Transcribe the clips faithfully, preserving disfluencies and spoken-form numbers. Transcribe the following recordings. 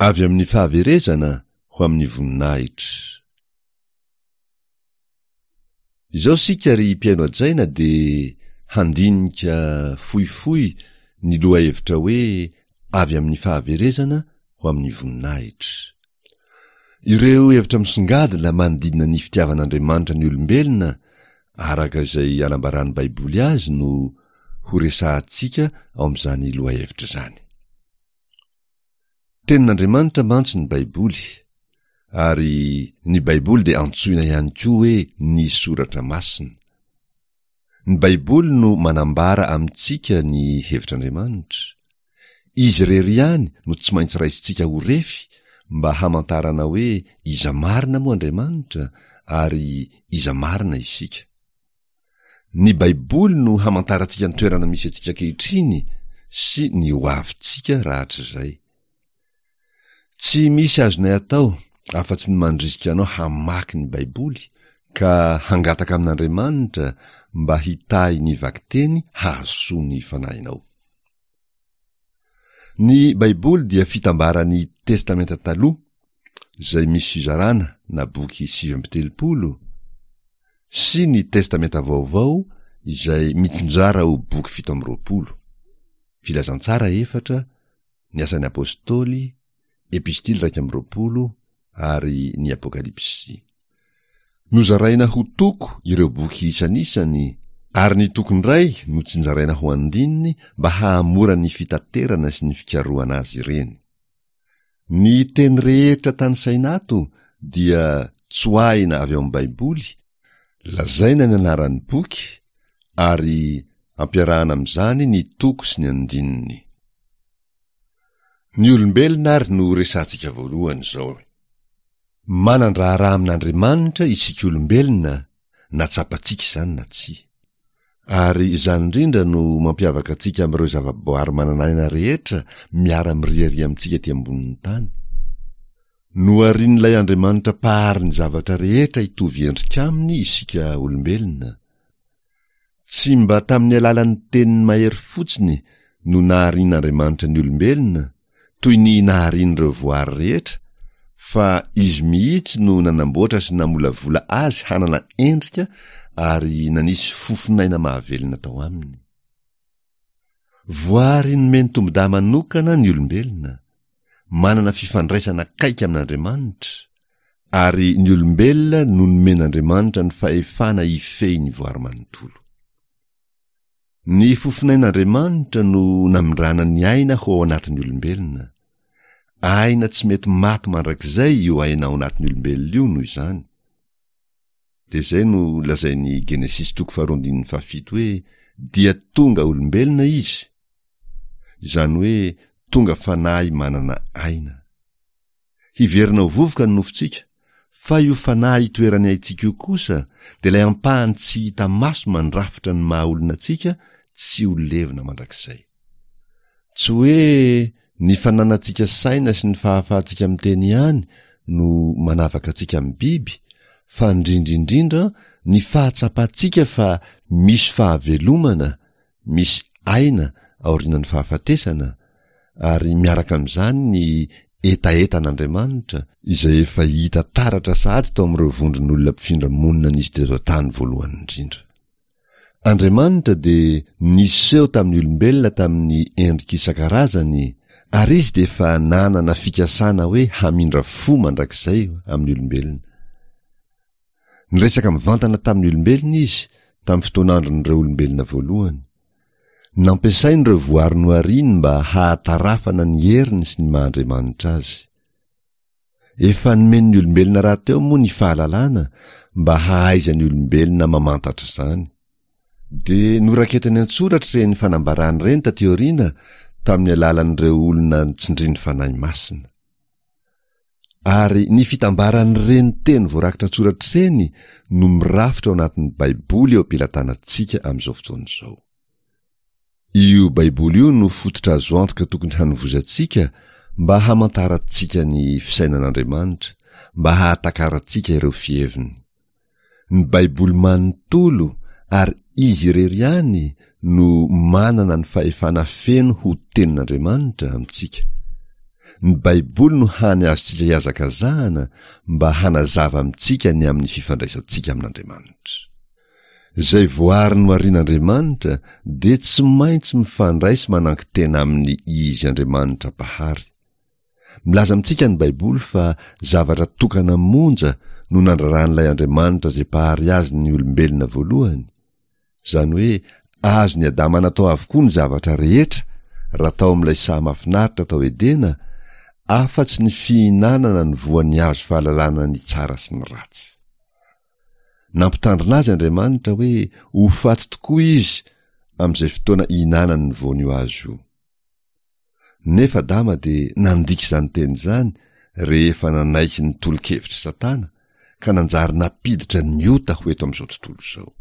Avy amin'ny fahaverezana ho amin'ny voninahitra. Izao isika ry mpihaino hajaina dia handinika fohifohy ny lohahevitra hoe avy amin'ny fahaverezana ho amin'ny voninahitra. Ireo hevitra misongadina manodidina ny fitiavan'Andriamanitra ny olombelona araka izay anambaran'ny Baiboly azy no horesahantsika ao amin'izany lohahevitra izany. Tenin'Andriamanitra mantsy ny Baiboly, ary ny Baiboly dia antsoina ihany koa hoe ny Soratra Masina. Ny Baiboly no manambara amintsika ny hevitr'Andriamanitra. Izy irery ihany no tsy maintsy raisintsika ho refy mba hamantarana hoe iza marina moa Andriamanitra ary iza marina isika. Ny Baiboly no hamantarantsika ny toerana misy antsika ankehitriny sy ny hoavintsika rahatrizay. Tsy misy azonay atao afa-tsy ny mandrisika anao hamaky ny Baiboly ka hangataka amin'Andriamanitra mba hitahy ny vakiteny hahasoa ny fanahinao. Ny Baiboly dia fitambaran'ny Testamenta Taloha, izay misy fizarana na boky sivy amby telopolo, sy ny Testamenta Vaovao izay mitsinjara ho boky fito amby roapolo, Filazantsara efatra, ny Asan'ny Apostoly, Epistily iraika amby roapolo ary ny Apokalypsy. Nozaraina ho toko ireo boky isanisany, ary ny toko indray notsinjaraina ho andininy mba hahamora ny fitaterana sy ny fikarohana azy ireny. Ny teny rehetra tanisaina ato dia tsoahina avy ao amin'ny Baiboly, lazaina ny anaran'ny boky ary ampiarahana amin'izany ny toko sy ny andininy. Ny olombelona ary no resahantsika voalohany izao. Manan-draharaha amin'Andriamanitra isika olombelona na tsapantsika izany na tsia. Ary izany indrindra no mampiavaka antsika amin'ireo zavaboary manana aina rehetra miara-miriaria amintsika ety ambonin'ny tany. Noharin'ilay Andriamanitra Mpahary ny zavatra rehetra hitovy endrika aminy isika olombelona. Tsy mba tamin'ny alalan'ny teniny mahery fotsiny no naharian'Andriamanitra ny olombelona, toy ny naharian'ireo voary rehetra, fa Izy mihitsy no nanamboatra sy namolavola azy hanana endrika ary nanisy fofon'aina mahavelona tao aminy. Voary nomeny tombon-dahy manokana ny olombelona, manana fifandraisana akaiky amin'Andriamanitra, ary ny olombelona no nomen'Andriamanitra ny fahefana hifehy ny voary manontolo. Ny fofonain'Andriamanitra no namindrana ny aina ho ao anatin'ny olombelona. Aina tsy mety maty mandrakizay io aina ao anatin'ny olombelona io noho izany. Dia izay no lazain'ny Genesisy toko faharoa andininy fahafito hoe dia tonga olombelona izy, izany hoe tonga fanahy manana aina. Hiverina ho vovoka ny nofontsika, fa io fanahy itoeran'ny aintsika io kosa dia ilay ampahany tsy hita maso mandrafitra ny maha olona antsika tsy ho levona mandrakizay. Tsy hoe ny fananantsika saina sy ny fahafahantsika miteny ihany no manavaka antsika amin'ny biby, fa indrindra indrindra ny fahatsapantsika fa misy fahavelomana, misy aina aorianan'ny fahafatesana, ary miaraka amin'izany ny hetahetan'Andriamanitra, izay efa hita taratra sahady tao amin'ireo vondron'olona mpifindra monina nisy teto an-tany voalohany indrindra. Andriamanitra dia niseho tamin'ny olombelona tamin'ny endrika isan-karazany, ary Izy dia efa nanana fikasana hoe hamindra fo mandrakizay amin'ny olombelona. Niresaka mivantana tamin'ny olombelona Izy tamin'ny fotoan'andron'ireo olombelona voalohany. Nampiasainy ireo voary nohariny mba hahatarafana ny heriny sy ny maha-Andriamanitra Azy. Efa nomeny ny olombelona rahateo moa ny fahalalana mba hahaizan'ny olombelona mamantatra izany. Dia noraketany an-tsoratra ireny fanambarany ireny taty aoriana tamin'ny alalan'ireo olona tsindrin'ny Fanahy Masina. Ary ny fitambaran'ireny teny voarakitra an-tsoratra ireny no mirafitra ao anatin'ny Baiboly eo am-pelatanantsika amin'izao fotoana izao. Io Baiboly io no fototra azo antoka tokony hanovozantsika mba hamantarantsika ny fisainan'Andriamanitra, mba hahatakarantsika ireo fiheviny. Ny Baiboly manontolo ary izy irery ihany no manana ny fahefana feno ho Tenin'Andriamanitra amintsika. Ny Baiboly no hany azontsika ihazakazahana mba hanazava amintsika ny amin'ny fifandraisantsika amin'Andriamanitra. Izay voary noharian'Andriamanitra dia tsy maintsy mifandray sy manankin-tena aminy Izy Andriamanitra Mpahary. Milaza amintsika ny Baiboly fa zavatra tokana monja no nandraran'ilay Andriamanitra izay Mpahary azy ny olombelona voalohany, izany hoe azon'i Adama natao avokoa ny zavatra rehetra raha tao amin'ilay saha mahafinaritra tao Edena, afa-tsy ny fihinanana ny voan'ny hazo fahalalana ny tsara sy ny ratsy. Nampitandrina azy Andriamanitra hoe ho faty tokoa izy amin'izay fotoana ihinanany ny voan'io hazo io. Nefa Adama dia nandika izany teny izany rehefa nanaiky ny tolo-kevitr'i Satana ka nanjary nampiditra ny ota ho eto amin'izao tontolo izao.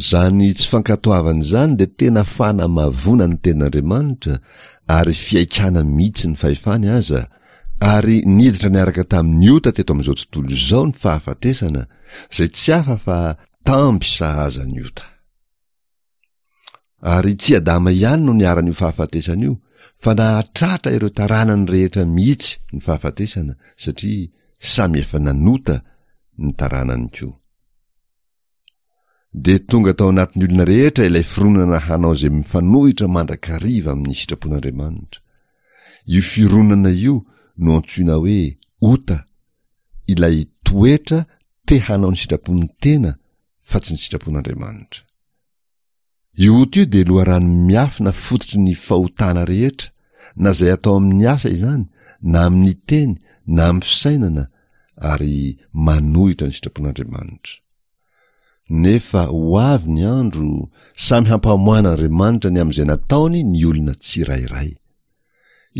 Izany tsy fankatoavana izany dia tena fanamavoana ny tenin'Andriamanitra ary fihaikana mihitsy ny fahefany aza, ary niditra niaraka tamin'ny ota teto amin'izao tontolo izao ny fahafatesana, izay tsy hafa fa tamby sahaza ny ota. Ary tsy Adama ihany no niharan'io fahafatesana io, fa nahatratra ireo taranany rehetra mihitsy ny fahafatesana, satria samy efa nanota ny taranany koa. Dia tonga tao anatin'ny olona rehetra ilay fironana hanao izay mifanohitra mandrakariva amin'ny sitrapon'Andriamanitra. Io fironana io no antsoina hoe ota, ilay toetra te hanao ny sitrapon'ny tena fa tsy ny sitrapon'Andriamanitra. Io ota io dia loharano miafina fototry ny fahotana rehetra, na izay atao amin'ny asa izany, na amin'ny teny, na amin'ny fisainana, ary manohitra ny sitrapon'Andriamanitra. Nefa ho avy ny andro, samy hampamoahan'Andriamanitra ny amin'izay nataony ny olona tsirairay.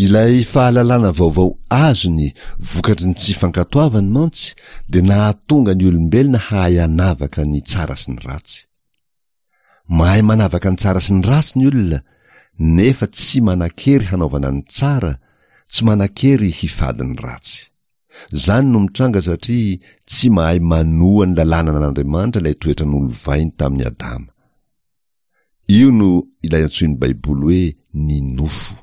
Ilay fahalalana vaovao azony vokatry ny tsy fankatoavany mantsy dia nahatonga ny olombelona hahay hanavaka ny tsara sy ny ratsy. Mahay manavaka ny tsara sy ny ratsy ny olona, nefa tsy manan-kery hanaovana ny tsara, tsy manan-kery hifady ny ratsy. Izany no mitranga satria tsy mahay manoa ny lalànan'Andriamanitra ilay toetra nolovainy tamin'i Adama. Io no ilay antsoin'ny Baiboly hoe ny nofo.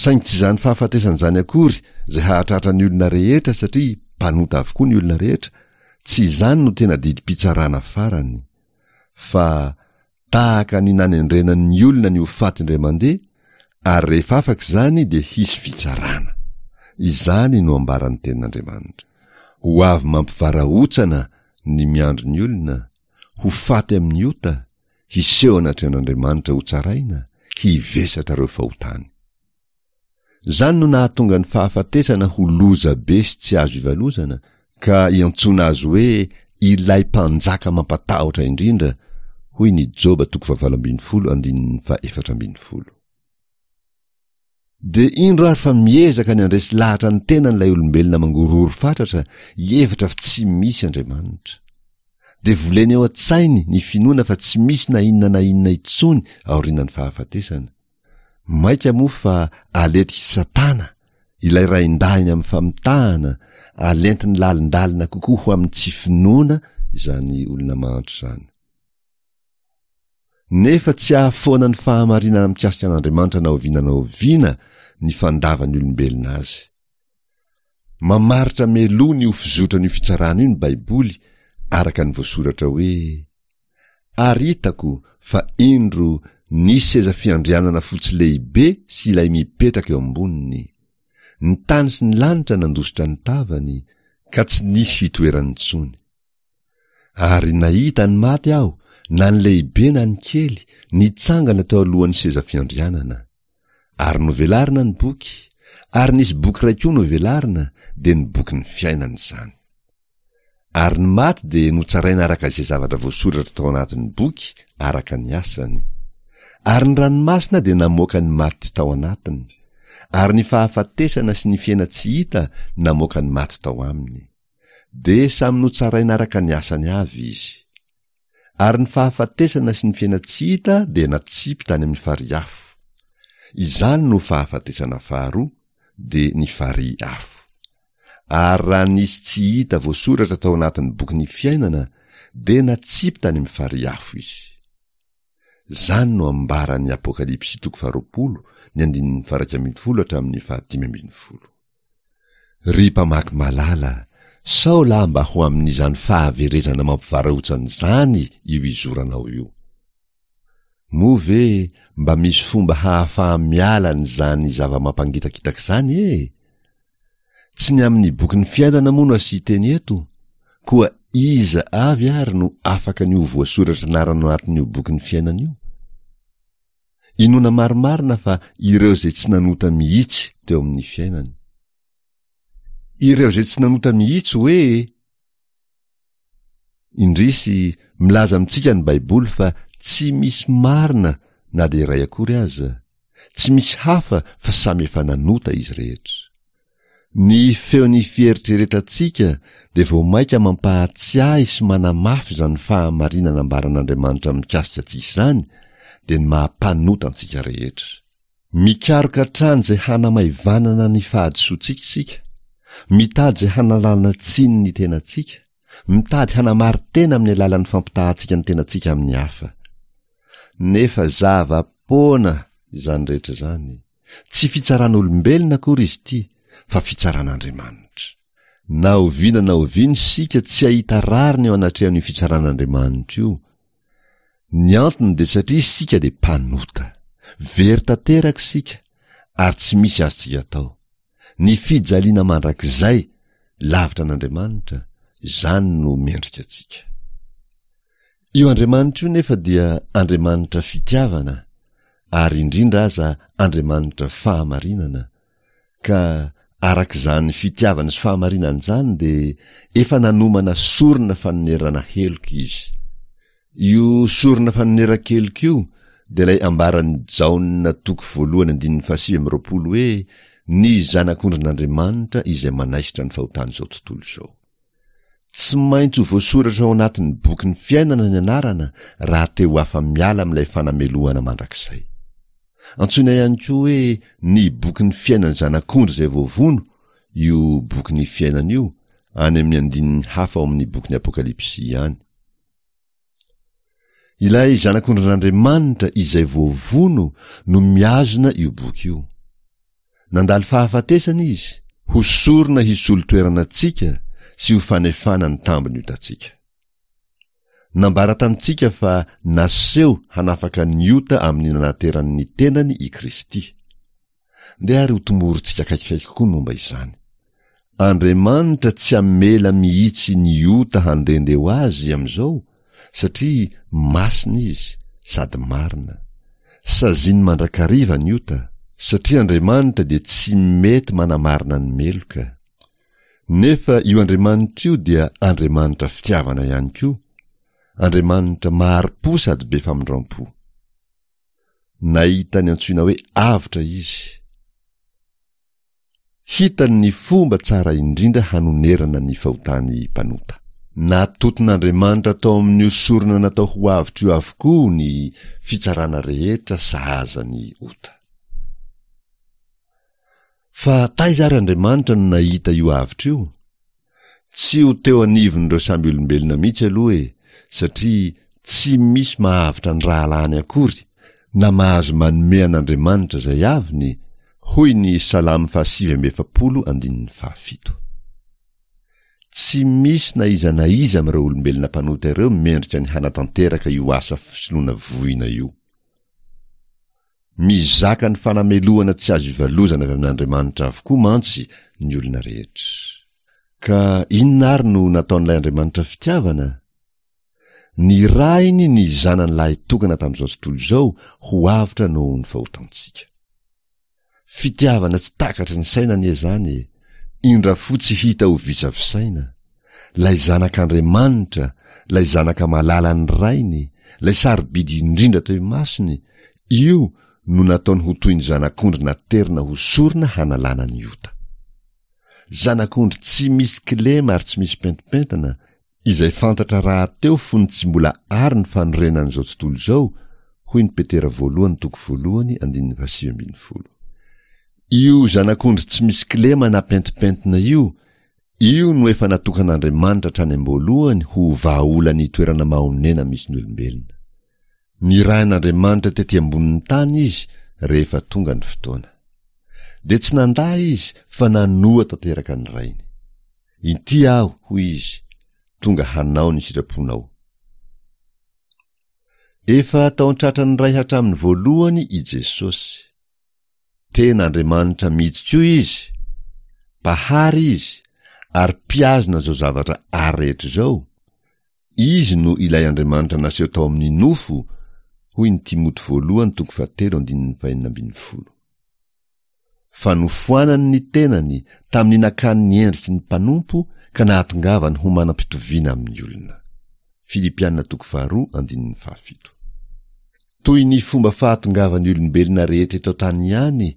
Saingy tsy izany fahafatesana izany akory izay hahatratra ny olona rehetra satria mpanota avokoa ny olona rehetra, tsy izany no tena didim-pitsarana farany. Fa tahaka ny nanendrena ny olona ny ho faty indray mandeha, ary rehefa afaka izany dia hisy fitsarana. Izany no ambaran'ny tenin'Andriamanitra. Ho avy mampivarahontsana ny miandry ny olona, ho faty amin'ny ota, hiseho anatrehan'Andriamanitra hotsaraina, hivesatra ireo fahotany. Izany no nahatonga ny fahafatesana ho loza be sy tsy azo ivalozana, ka iantsoana azy hoe ilay mpanjaka mampatahotra indrindra, hoy ny Joba toko fahavalo ambin'ny folo andininy fahefatra ambin'ny folo. Dia indro ary fa miezaka ny handresy lahatra ny tenany ilay olombelona mangorohoro fatratra hihevitra fa tsy misy Andriamanitra. Dia voleny ao an-tsainy ny finoana fa tsy misy na inona na inona intsony aorianan'ny fahafatesana. Mainka moa fa aletik'i Satana, ilay raindahiny amin'ny famitahana, alentiny lalindalina kokoa ho amin'ny tsy finoana izany olona mahantra izany. Nefa tsy hahafoana ny fahamarinana mikasika an'Andriamanitra na oviana na oviana ny fandavan'ny olombelona azy. Mamaritra mialoha ny ho fizotran'io fitsarana io ny Baiboly araka ny voasoratra hoe, Ary hitako fa indro nisy seza fiandrianana fotsy lehibe sy ilay mipetraka eo amboniny. Ny tany sy ny lanitra nandositra ny tavany, ka tsy nisy hitoerany intsony. Ary nahita ny maty aho, na ny lehibe na ny kely, nitsangana teo alohan'ny seza fiandrianana. Ary novelarina ny boky, ary nisy boky iray koa novelarina, dia ny bokin'ny fiainana izany. Ary ny maty dia notsaraina araka izay zavatra voasoratra tao anatin'ny boky araka ny asany. Ary ny ranomasina dia namoaka ny maty tao anatiny, ary ny fahafatesana sy ny fiaina-tsy hita namoaka ny maty tao aminy. Dia samy notsaraina araka ny asany avy izy. Ary ny fahafatesana sy ny fiaina-tsy hita dia natsipy tany amin'ny farihy afo. Izany no fahafatesana faharoa, dia ny farihy afo. Ary raha nisy tsy hita voasoratra tao anatin'ny bokin'ny fiainana, dia natsipy tany amin'ny farihy afo izy. Izany no ambaran'ny Apokalypsy toko faharoapolo, ny andininy faha-iraika ambin'ny folo hatramin'ny fahadimy ambin'ny folo. Ry mpamaky malala, sao lahy mba ho amin'izany fahaverezana mampivarahontsana izany io izoranao io. Moa ve mba misy fomba hahafaha-miala an'izany zava-mampangitakitaka izany e? Tsy ny amin'ny bokin'ny fiainana moa no asian-teny eto? Koa iza avy ary no afaka ny ho voasoratra anarana ao anatin'io bokin'ny fiainana io? Inoana marimarina fa ireo izay tsy nanota mihitsy teo amin'ny fiainany. Ireo izay tsy nanota mihitsy hoe? Indrisy, milaza amintsika ny Baiboly fa tsy misy marina na dia iray akory aza. Tsy misy hafa fa samy efa nanota izy rehetra. Ny feon'ny fieritreretantsika dia vao mainka mampahatsiahy sy manamafy izany fahamarinana ambaran'Andriamanitra mikasika antsika izany, dia ny maha-mpanota antsika rehetra. Mikaroka hatrany izay hanamaivanana ny fahadisoantsika isika, mitady izay hanalana tsiny ny tenantsika, mitady hanamari-tena amin'ny alalan'ny fampitahantsika ny tenantsika amin'ny hafa. Nefa zava-poana izany rehetra izany. Tsy fitsaran'olombelona akory izy ity, fa fitsaran'Andriamanitra. Na oviana na oviana isika tsy hahita rariny eo anatrehan'io fitsaran'Andriamanitra io. Ny antony dia satria isika dia mpanota. Very tanteraka isika, ary tsy misy azontsika atao. Ny fijaliana mandrakizay lavitra an'Andriamanitra, izany no mendrika antsika. Io Andriamanitra io nefa dia Andriamanitra fitiavana, ary indrindra aza Andriamanitra fahamarinana, ka araka izany fitiavana sy fahamarinana izany dia efa nanomana sorona fanonerana heloka Izy. Io sorona fanoneran-keloka io dia ilay ambaran'i Jaona toko voalohany andininy fahasivy amby roapolo hoe ny Zanak'ondrin'Andriamanitra izay manaisotra ny fahotan'izao tontolo izao. Tsy maintsy ho voasoratra ao anatin'ny bokin'ny fiainana ny anarana raha te ho afa-miala amin'ilay fanamelohana mandrakizay. Antsoina ihany koa hoe ny bokin'ny fiainan'ny Zanak'ondry izay voavono io bokin'ny fiainana io, any amin'ny andininy hafa ao amin'ny bokin'ny Apokalypsy ihany. Ilay Zanak'ondrin'Andriamanitra izay voavono no mihazona io boky io. Nandalo fahafatesana izy, ho sorona hisolo toerana antsika sy ho fanefana ny tambin'ny otantsika. Nambara tamintsika fa naseho hanafaka ny ota amin'ny nanaterany ny tenany i Kristy. Ndeha ary hotomorintsika akaikikaiky kokoa ny momba izany. Andriamanitra tsy hamela mihitsy ny ota handehandeha ho azy amin'izao satria masina izy sady marina. Saziany mandrakariva ny ota, satria Andriamanitra dia tsy mety manamarina ny meloka. Nefa io Andriamanitra io dia Andriamanitra fitiavana ihany koa, Andriamanitra mahari-po sady be famindram-po. Nahita ny antsoina hoe avotra izy. Hitany ny fomba tsara indrindra hanonerana ny fahotan'ny mpanota. Natoton'Andriamanitra tao amin'io sorona natao ho avotra io avokoa ny fitsarana rehetra sahaza ny ota. Fa taiza ary Andriamanitra no nahita io avotra io? Tsy ho teo anivon'ireo samby olombelona mihitsy aloha e, satria tsy misy mahavotra ny rahalahiny akory, na mahazo manome an'Andriamanitra izay aviny, hoy ny Salamo fahasivy amby efapolo andininy fahafito. Tsy misy na iza na iza amin'ireo olombelona mpanota ireo mendrika ny hanatanteraka io asa fisoloana voina io. Mizaka ny fanamelohana tsy azo ivalozana avy amin'Andriamanitra avokoa mantsy ny olona rehetra. Ka inona àry no nataon'ilay Andriamanitra fitiavana? Nirahiny ny Zanany lahitokana tamin'izao tontolo izao ho avotra noho ny fahotantsika. Fitiavana tsy takatry ny saina anie izany e! Indra fo tsy hita ho visavisaina. Ilay Zanak'Andriamanitra, ilay Zanaka malalan'ny Rainy, ilay sarobidy indrindra teo imasony, io no nataony ho toy ny zanak'ondry naterina ho sorona hanalana ny ota. Zanak'ondry tsy misy kilema ary tsy misy pentimpentina, izay fantatra rahateo fony tsy mbola àry ny fanorenan'izao tontolo izao, hoy ny Petera voalohany toko voalohany andininy fahasivy ambin'ny folo. Io zanak'ondry tsy misy kilema na pentimpentina io, io no efa natokan'Andriamanitra hatrany am-boalohany ho vahaolan'ny toerana mahonena misy ny olombelona. Nirahin'Andriamanitra tety ambonin'ny tany izy rehefa tonga ny fotoana. Dia tsy nandà izy fa nanoa tanteraka ny Rainy. Inty aho, hoy izy, tonga hanao ny sitraponao. Efa tao an-tratran'ny Ray hatramin'ny voalohany i Jesosy. Tena Andriamanitra mihitsy koa izy, Mpahary izy, ary mpihazona izao zavatra ary rehetra izao. Izy no ilay Andriamanitra naseho tao amin'ny nofo, hoy ny Timoty voalohany toko fahatelo andininy fahenina ambin'ny folo. Fa nofoanany ny tenany tamin'ny nakany ny endriky ny mpanompo ka nahatongavany ho manam-pitoviana amin'ny olona. Filipiana toko faharoa andininy fahafito. Toy ny fomba fahatongavan'ny olombelona rehetra eto an-tany ihany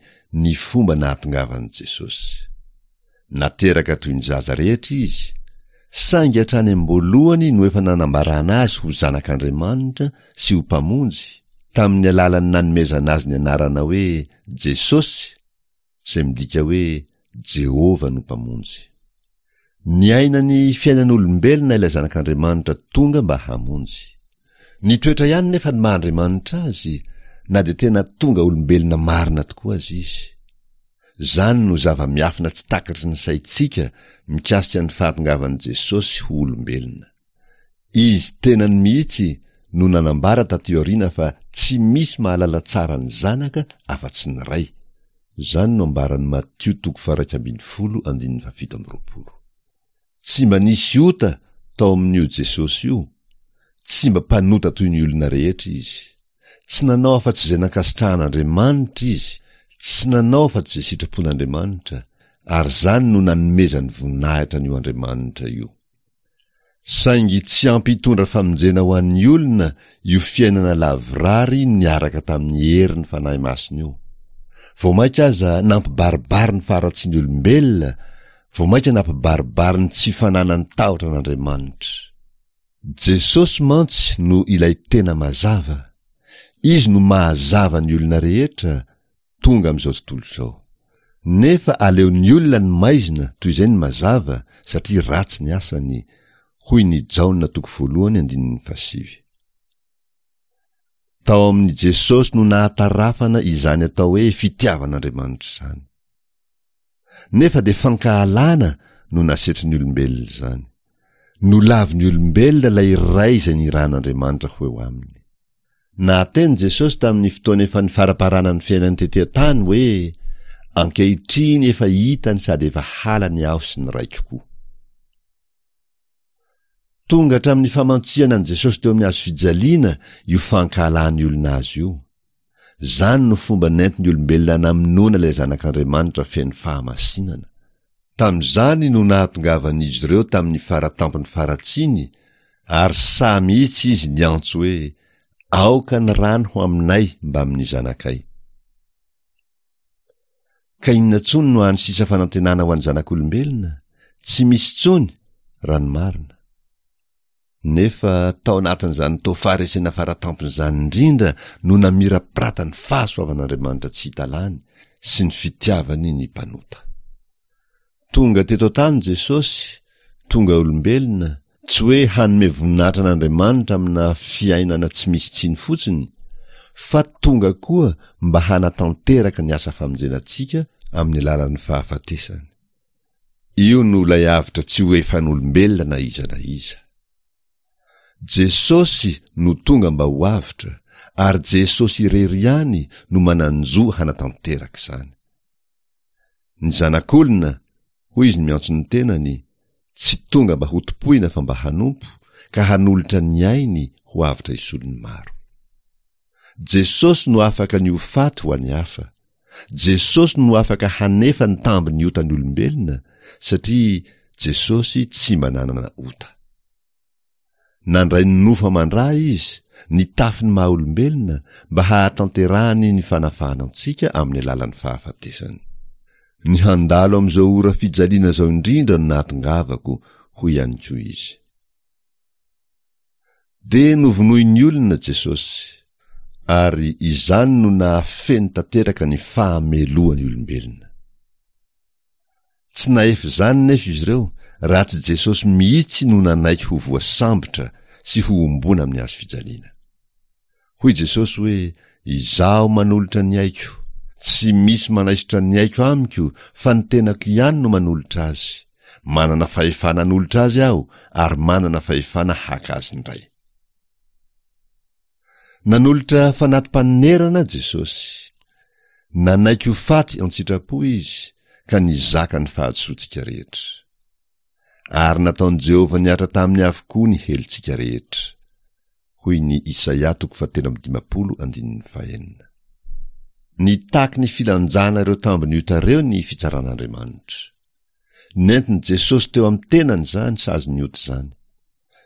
ny fomba nahatongavan'i Jesosy. Nateraka toy ny zaza rehetra izy, saingy hatrany am-boalohany no efa nanambarana azy ho zanak'Andriamanitra sy ho mpamonjy, tamin'ny alalan'ny nanomezana azy ny anarana hoe Jesosy, izay midika hoe Jehovah no mpamonjy. Niaina ny fiainan'olombelona ilay zanak'Andriamanitra tonga mba hamonjy. Nitoetra ihany nefa ny maha-Andriamanitra azy, na dia tena tonga olombelona marina tokoa aza izy. Izany no zava-miafina tsy takatry ny saintsika mikasika ny fahatongavan'i Jesosy ho olombelona. Izy tenany mihitsy no nanambara taty aoriana fa tsy misy mahalala tsara ny Zanaka afa-tsy ny Ray. Izany no ambaran'i Matio toko faha-iraika ambin'ny folo andininy fahafito amby roapolo. Tsy mba nisy ota tao amin'io Jesosy io, tsy mba mpanota toy ny olona rehetra izy. Tsy nanao afa-tsy izay nankasitrahan'Andriamanitra izy, tsy nanao afa-tsy izay sitrapon'Andriamanitra, ary izany no nanomezany voninahitra an'io Andriamanitra io. Saingy tsy ampy hitondra famonjena ho an'ny olona io fiainana lavorary niaraka tamin'ny herin'ny Fanahy Masina io. Vao mainka aza nampibaribary ny faharatsian'ny olombelona, vao mainka nampibaribary ny tsy fananany tahotra an'Andriamanitra. Jesosy mantsy no ilay tena mazava. Izy no mahazava ny olona rehetra tonga amin'izao tontolo izao. Nefa aleon'ny olona ny maizina toy izay ny mazava satria ratsy ny asany, hoy ny Jaona toko voalohany andininy fahasivy. Tao amin'i Jesosy no nahatarafana izany atao hoe fitiavan'Andriamanitra izany. Nefa dia fankahalana no nasetrin'ny olombelona izany. Nolavin'ny olombelona ilay Ray izay nirahan'Andriamanitra ho eo aminy. Nahateny Jesosy tamin'ny fotoana efa nifaraparanan'ny fiainany tety an-tany hoe, Ankehitriny efa hitany sady efa halany aho sy ny Raiko koa. Tonga hatramin'ny famantsihana an'i Jesosy teo amin'ny hazo fijaliana io fankahalan'ny olona azy io. Izany no fomba nentin'ny olombelona namonoana ilay Zanak'Andriamanitra feno fahamasinana. Tamin'izany no nahatongavan'izy ireo tamin'ny fara-tampon'ny faharatsiany, ary sahy mihitsy izy niantso hoe, Aoka ny rany ho aminay mbamin'ny zanakay. Ka inona intsony no hany sisa fanantenana ho an'ny zanak'olombelona? Tsy misy intsony, raha ny marina. Nefa tao anatin'izany toa faharesena faratampony izany indrindra no namirapirata ny fahasoavan'Andriamanitra tsy hita lany sy ny fitiavany ny mpanota. Tonga teto an-tany Jesosy, tonga olombelona, tsy hoe hanome voninahitra an'Andriamanitra amina fiainana tsy misy tsiny fotsiny, fa tonga koa mba hanatanteraka ny asa famonjena antsika amin'ny alalan'ny fahafatesany. Io no ilay avotra tsy ho efan'olombelona na iza na iza. Jesosy no tonga mba ho avotra, ary Jesosy irery ihany no manan-jo hanatanteraka izany. Ny Zanak'olona, hoy izy miantso ny tenany, tsy tonga mba hotompoina fa mba hanompo, ka hanolotra ny ainy ho avotra hisolo ny maro. Jesosy no afaka ny ho faty ho an'ny hafa. Jesosy no afaka hanefa ny tambin'ny otan'ny olombelona, satria Jesosy tsy mba nanana ota. Nandray ny nofo aman-dra Izy, nitafy ny maha-olombelona, mba hahatanterahany ny fanafahana antsika amin'ny alalan'ny fahafatesany. Ny handalo amin'izao ora fijaliana izao indrindra no nahatongavako, hoy ihany koa Izy. Dia novonoin'ny olona Jesosy, ary izany no nahafeno tanteraka ny fahamelohan'ny olombelona. Tsy nahefa izany nefa izy ireo raha tsy Jesosy mihitsy no nanaiky ho voasambotra sy hohomboana amin'ny hazo fijaliana. Hoy Jesosy hoe, Izaho manolotra ny aiko. Tsy misy manaisotra ny aiko amiko fa ny tenako ihany no manolotra azy. Manana fahefana hanolotra azy aho ary manana fahefana haka azy indray. Nanolotra fanati-panonerana Jesosy. Nanaiky ho faty an-tsitrapo izy ka nizaka ny fahadisoantsika rehetra. Ary nataon'i Jehovah nihatra taminy avokoa ny helotsika rehetra. Hoy ny Isaia toko fahatelo amby dimampolo andininy fahenina. Nitaky ny filanjana ireo tambin'ny ota ireo ny fitsaran'Andriamanitra. Nentin'i Jesosy teo amin'ny tenany izany sazin'ny ota izany.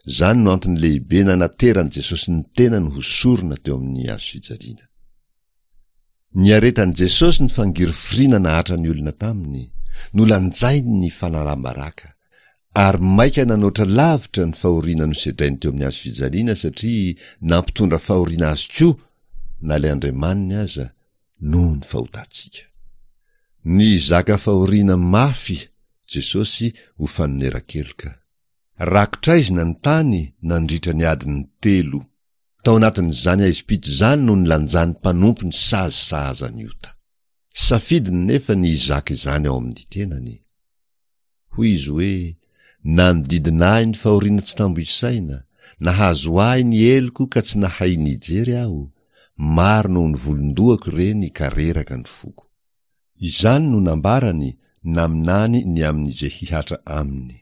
Izany no antony lehibe nanateran'i Jesosy ny tenany ho sorona teo amin'ny hazo fijaliana. Niaretan'i Jesosy ny fangirifiriana nahatra ny olona taminy, nolanjainy ny fanalam-baraka, ary maika nanoatra lavitra ny fahoriana nosedrainy teo amin'ny hazo fijaliana satria nampitondra fahoriana azy koa na ilay Andriamaniny aza noho ny fahotantsika. Nizaka fahoriana mafy Jesosy ho fanoneran-keloka. Rakotra aizina ny tany nandritra ny adiny telo. Tao anatin'izany haizim-pito izany no nilanjan'ny mpanompo ny sazy sahaza ny ota. Safidiny nefa ny hizaka izany ao amin'ny tenany. Hoy izy hoe, Nanodidina ahy ny fahoriana tsy tambo isaina, nahazo ahy ny heloko ka tsy nahay nijery aho, maro noho ny volon-dohako ireny ka reraka ny foko. Izany no nambarany naminany ny amin'izay hihatra aminy.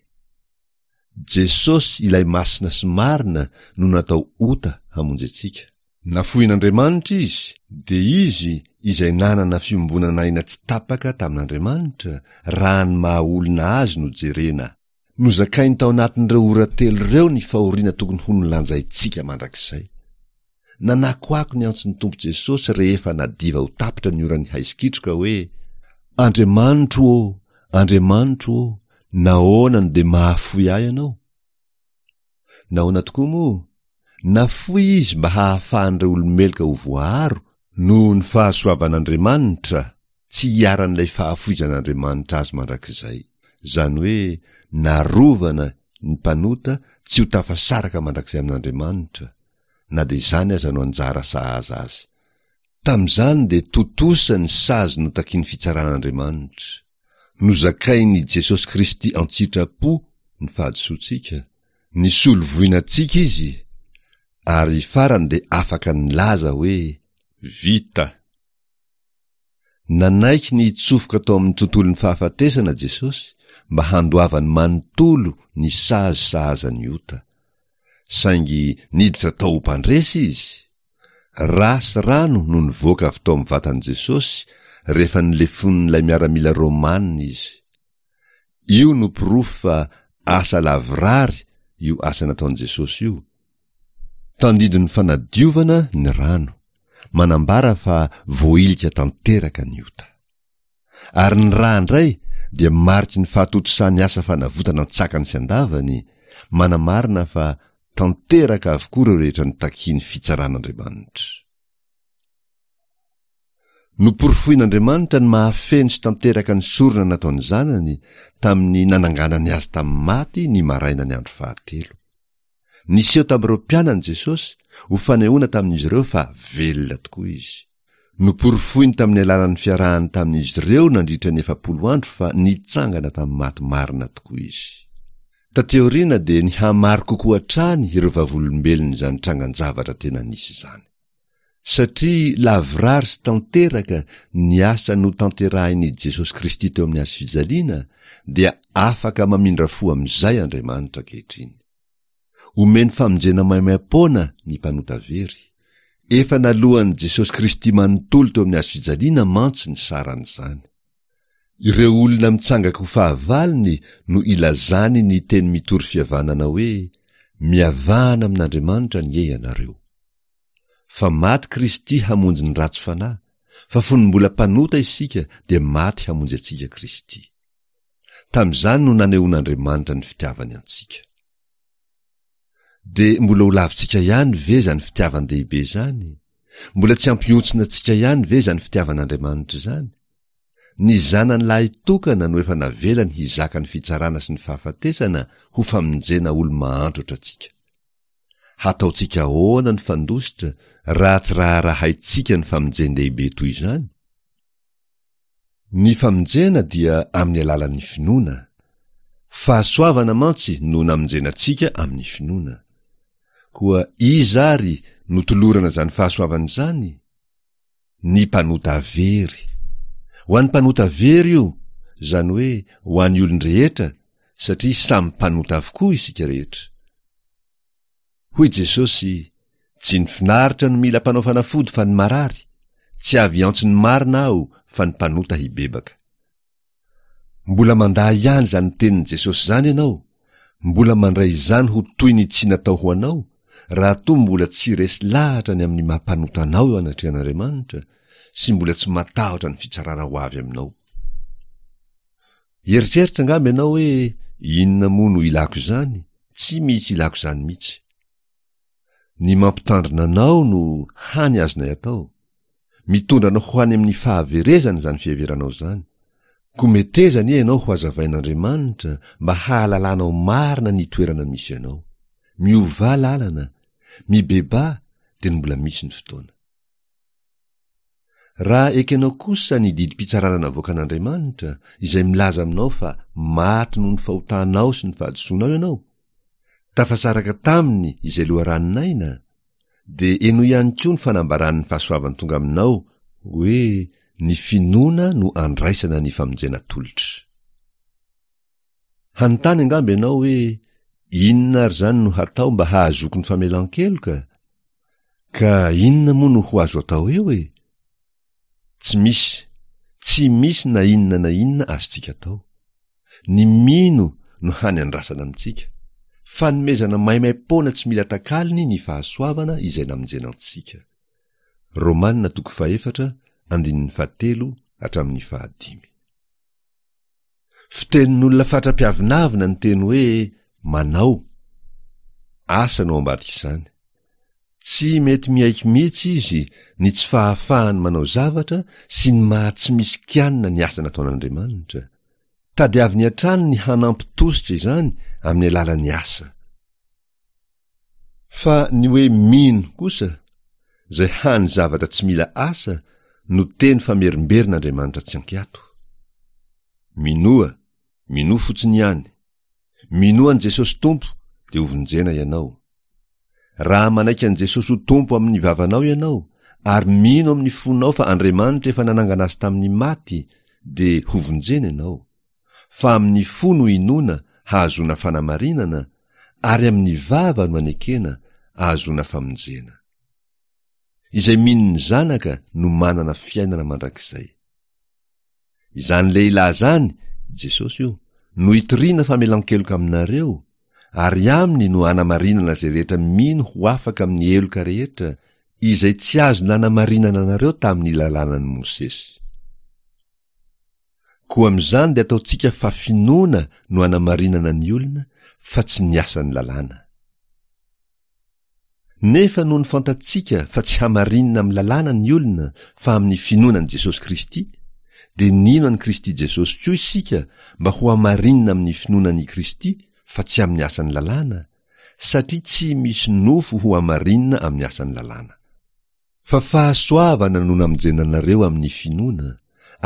Jesosy ilay masina sy marina no natao ota hamonjy antsika. Nafoin'Andriamanitra izy, dia izy izay nanana fiombonan'aina tsy tapaka tamin'Andriamanitra, raha ny maha olona azy no jerena. Nozakainy tao anatin'ireo ora telo ireo ny fahoriana tokony ho nolanjaintsika mandrakizay. Nanakoako ny antson'ny Tompo Jesosy rehefa nadiva ho tapitra ny oran'ny haizikitroka hoe, Andriamanitro ô, Andriamanitro ô, nahoana no dia mahafoy ahy ianao? Nahoana tokoa moa? Nafoy izy mba hahafahan'ireo olo-meloka ho voaaro noho ny fahasoavan'Andriamanitra, tsy hiharan'ilay fahafoizan'Andriamanitra azy mandrakizay. Izany hoe narovana ny mpanota tsy ho tafasaraka mandrakizay amin'Andriamanitra, na dia izany aza no anjara sahaza azy. Tamin'izany dia tontosa ny sazy notakian'ny fitsaran'Andriamanitra. Nozakain'i Jesosy Kristy an-tsitrapo ny fahadisoantsika, nisolo voina antsika Izy, ary farany dia afaka nilaza hoe, Vita. Nanaiky ny hitsofoka tao amin'ny tontolon'ny fahafatesana Jesosy mba handoavany manontolo ny sazy sahaza ny ota. Saingy niditra tao ho mpandresy Izy. Ra sy rano no nivoaka avy tao amin'ny vatan'i Jesosy rehefa nolefonin'ilay miaramila Romana Izy. Io no porofo fa asa lavorary io asa nataon'i Jesosy io. Tandindon'ny fanadiovana ny rano, manambara fa voahilika tanteraka ny ota. Ary ny ra indray dia mariky ny fahatontosan'ny asa fanavotana an-tsakany sy an-davany, manamarina fa tanteraka avokoa ireo rehetra nitakian'ny fitsaran'Andriamanitra. Noporofoin'Andriamanitra ny mahafeno sy tanteraka ny sorona nataon'ny Zanany tamin'ny nananganany azy tamin'ny maty ny marainan'ny andro fahatelo. Niseho tamin'ireo mpianany Jesosy ho fanehoana tamin'izy ireo fa velona tokoa izy. Noporofoiny tamin'ny alalan'ny fiarahany tamin'izy ireo nandritra ny efapolo andro fa nitsangana tamin'ny maty marina tokoa izy. Taty aoriana dia nihamaro kokoa hatrany ireo vavolombelon'izany trangan-javatra tena nisy izany. Satria lavorary sy tanteraka ny asa notanterahin'i Jesosy Kristy teo amin'ny hazo fijaliana, dia afaka mamindra fo amin'izay Andriamanitra ankehitriny. Omeny famonjena maimaim-poana ny mpanota very. Efa naloan'i Jesosy Kristy manontolo teo amin'ny hazo fijaliana mantsy ny saran'izany. Ireo olona mitsangaka ho fahavalony no ilazany ny teny mitory fihavanana hoe, Mihavana amin'Andriamanitra anie ianareo. Fa maty Kristy hamonjy ny ratsy fanahy, fa fony mbola mpanota isika dia maty hamonjy antsika Kristy. Tamin'izany no nanehoan'Andriamanitra ny fitiavany antsika. Dia mbola ho lavintsika ihany ve izany fitiavan-dehibe izany? Mbola tsy hampihontsina antsika ihany ve izany fitiavan'Andriamanitra izany? Ny Zanany lahitokana no efa navelany hizaka ny fitsarana sy ny fahafatesana ho famonjena olo-mahantra ohatrantsika. Hataontsika ahoana ny fandositra raha tsy raharahaintsika ny famonjen-dehibe toy izany? Ny famonjena dia amin'ny alalan'ny finoana. Fahasoavana mantsy no namonjena antsika amin'ny finoana. Koa iza ary no tolorana izany fahasoavana izany? Ny mpanota very. Ho an'ny mpanota very io, izany hoe ho an'ny olon-drehetra, satria samy mpanota avokoa isika rehetra. Hoy Jesosy, Tsy ny finaritra no mila mpanao fanafody fa ny marary, tsy avy hiantso ny marina aho fa ny mpanota hibebaka. Mbola mandà ihany izany tenin'i Jesosy izany ianao, mbola mandray izany ho toy ny tsy natao ho anao, raha toa mbola tsy resy lahatra ny amin'ny maha mpanota anao eo anatrehan'Andriamanitra sy mbola tsy matahotra ny fitsarana ho avy aminao. Hieritreritra angamba ianao hoe inona moa no ilako izany, tsy misy ilako izany mihitsy. Ny mampitandrina anao no hany azonay atao. Mitondra anao ho any amin'ny fahaverezana izany fiheveranao izany. Koa meteza anie ianao ho hazavain'Andriamanitra mba hahalalanao marina ny toerana misy anao. Miovà lalana, mibebaha dia ny mbola misy ny fotoana. Raha ekenao kosa ny didim-pitsarana navoakan'Andriamanitra izay milaza aminao fa maty noho ny fahotanao sy ny fahadisoanao ianao, tafasaraka taminy izay loharanon'aina, dia henoy ihany koa ny fanambaran'ny fahasoavany tonga aminao hoe ny finoana no andraisana ny famonjena tolotra. Hanontany angamba ianao hoe inona ary izany no hatao mba hahazoako ny famelan-keloka? Ka inona moa no ho azo atao eo e? Tsy misy, tsy misy na inona na inona azontsika atao. Ny mino no hany andrasana amintsika. Fanomezana maimaim-poana tsy mila takalony ny fahasoavana izay namonjena antsika. Romana toko fahefatra andininy fahatelo hatramin'ny fahadimy. Fitenin'olona fatra-piavonavona ny teny hoe manao. Asa no ao ambadik'izany. Tsy mety miaiky mihitsy izy ny tsy fahafahany manao zavatra sy ny maha tsy misy kianina ny asa nataon'Andriamanitra. Tadiaviny hatrany ny hanampy tosika izany amin'ny alalan'ny asa. Fa ny hoe mino kosa, izay hany zavatra tsy mila asa, no teny famerimberina Andriamanitra tsy ankiato. Minoa, minoa fotsiny ihany. Minoa an'i Jesosy Tompo dia hovonjena ianao. Raha manaiky an'i Jesosy ho Tompo amin'ny vavanao ianao ary mino amin'ny fonao fa Andriamanitra efa nanangana azy tamin'ny maty, dia hovonjena ianao. Fa amin'ny fo no inoana hahazoana fanamarinana ary amin'ny vava no anekena ahazoana famonjena. Izay mino ny Zanaka no manana fiainana mandrakizay. Izany lehilahy izany, Jesosy io, no itoriana famelan-keloka aminareo, ary aminy no anamarinana izay rehetra mino ho afaka amin'ny heloka rehetra, izay tsy azo nanamarinana anareo tamin'ny lalànan'i Mosesy. Koa amin'izany dia ataontsika fa finoana no anamarinana ny olona, fa tsy ny asan'ny lalàna. Nefa noho ny fantatsika fa tsy hamarinina amin'ny lalàna ny olona fa amin'ny finoana an'i Jesosy Kristy, dia nino an'i Kristy Jesosy koa isika mba ho hamarinina amin'ny finoana an'i Kristy fa tsy amin'ny asan'ny lalàna, satria tsy misy nofo ho hamarinina amin'ny asan'ny lalàna. Fa fahasoavana no namonjena anareo amin'ny finoana,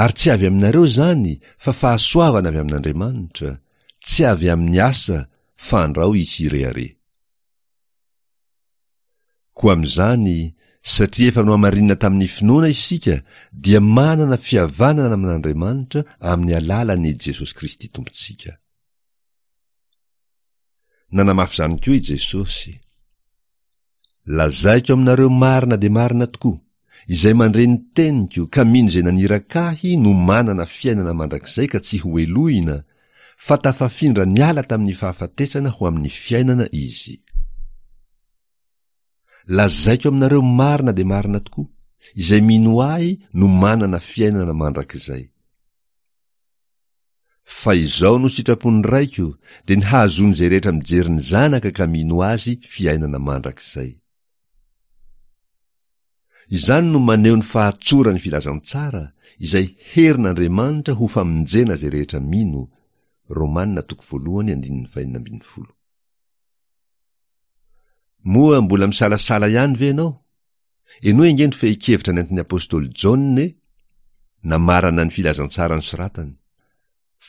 ary tsy avy aminareo izany fa fahasoavana avy amin'Andriamanitra, tsy avy amin'ny asa fandrao hisy hirehareha. Koa amin'izany, satria efa nohamarinina tamin'ny finoana isika, dia manana fihavanana amin'Andriamanitra amin'ny alalan'i Jesosy Kristy Tompontsika. Nanamafy izany koa i Jesosy. Lazaiko aminareo marina dia marina tokoa, izay mandre ny teniko ka mino izay naniraka ahy no manana fiainana mandrakizay ka tsy hohelohina, fa tafafindra niala tamin'ny fahafatesana ho amin'ny fiainana izy. Lazaiko aminareo marina dia marina tokoa, izay mino ahy no manana fiainana mandrakizay. Fa izao no sitrapon'ny Raiko, dia ny hahazoan'izay rehetra mijery ny Zanaka ka mino Azy fiainana mandrakizay. Izany no maneho ny fahatsoran'ny filazantsara, izay herin'Andriamanitra ho famonjena izay rehetra mino, Romana toko voalohany andininy fahenina ambin'ny folo. Moa mbola misalasala ihany ve ianao? Henoy ange ny fehin-kevitra nentin'ny apostoly Jaona e! Namarana ny filazantsara nosoratany.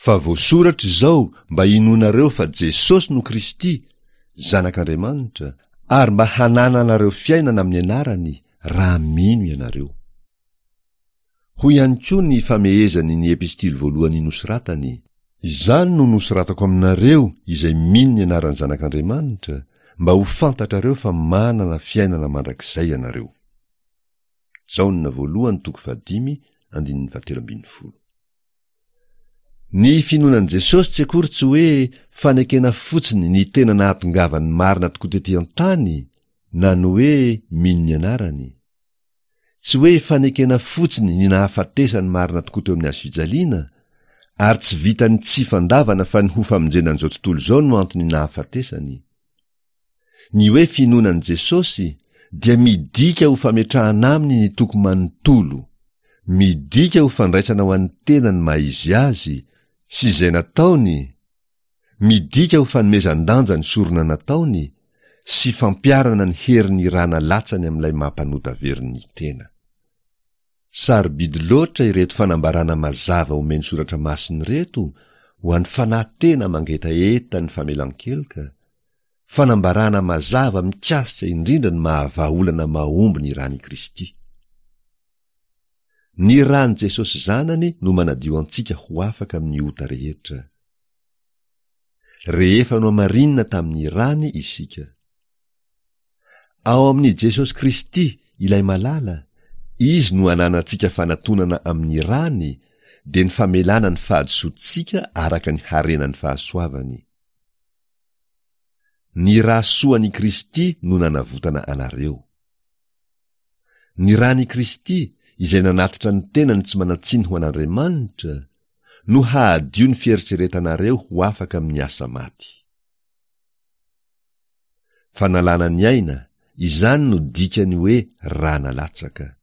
Fa voasoratra izao mba hinoanareo fa Jesosy no Kristy, Zanak'Andriamanitra, ary mba hanananareo fiainana amin'ny anarany, raha mino ianareo. Hoy ihany koa ny famehezany ny epistily voalohany nosoratany, Izany no nosoratako aminareo izay mino ny anaran'ny Zanak'Andriamanitra, mba ho fantatrareo fa manana fiainana mandrakizay ianareo. Jaona voalohany toko fahadimy andininy fahatelo ambin'ny folo. Ny finoana an'i Jesosy tsy akory tsy hoe fanekena fotsiny ny tena nahatongavany marina tokoa tety an-tany, na ny hoe mino ny anarany. Tsy hoe fanekena fotsiny ny nahafatesany marina tokoa teo amin'ny hazo fijaliana, ary tsy vitan'ny tsy fandavana fa ny ho famonjena an'izao tontolo izao no antony nahafatesany. Ny hoe finoana an'i Jesosy dia midika ho fametrahana aminy ny toko manontolo, midika ho fandraisana ho an'ny tena ny maha izy azy sy izay nataony, midika ho fanomezan-danja ny sorona nataony sy fampiharana ny herin'ny rà nalatsany amin'ilay maha-mpanota very ny tena. Sarobidy loatra ireto fanambarana mazava omen'ny Soratra Masina ireto ho an'ny fanahy tena mangetaheta ny famelan-keloka, fanambarana mazava mikasika indrindra ny maha-vahaolana mahomby ny ràn'i Kristy. Ny ràn'i Jesosy Zanany no manadio antsika ho afaka amin'ny ota rehetra. Rehefa nohamarinina tamin'ny ràny isika. Ao amin'i Jesosy Kristy, ilay Malala, Izy no ananantsika fanatonana amin'ny ràny, dia ny famelana ny fahadisoantsika araka ny harenan'ny fahasoavany. Ny rà soan'i Kristy no nanavotana anareo. Ny ràn'i Kristy, izay nanatitra ny tenany tsy manan-tsiny ho an'Andriamanitra, no hahadio ny fieritreretanareo ho afaka amin'ny asa maty. Fanalana ny aina, izany no dikan'ny hoe rà nalatsaka.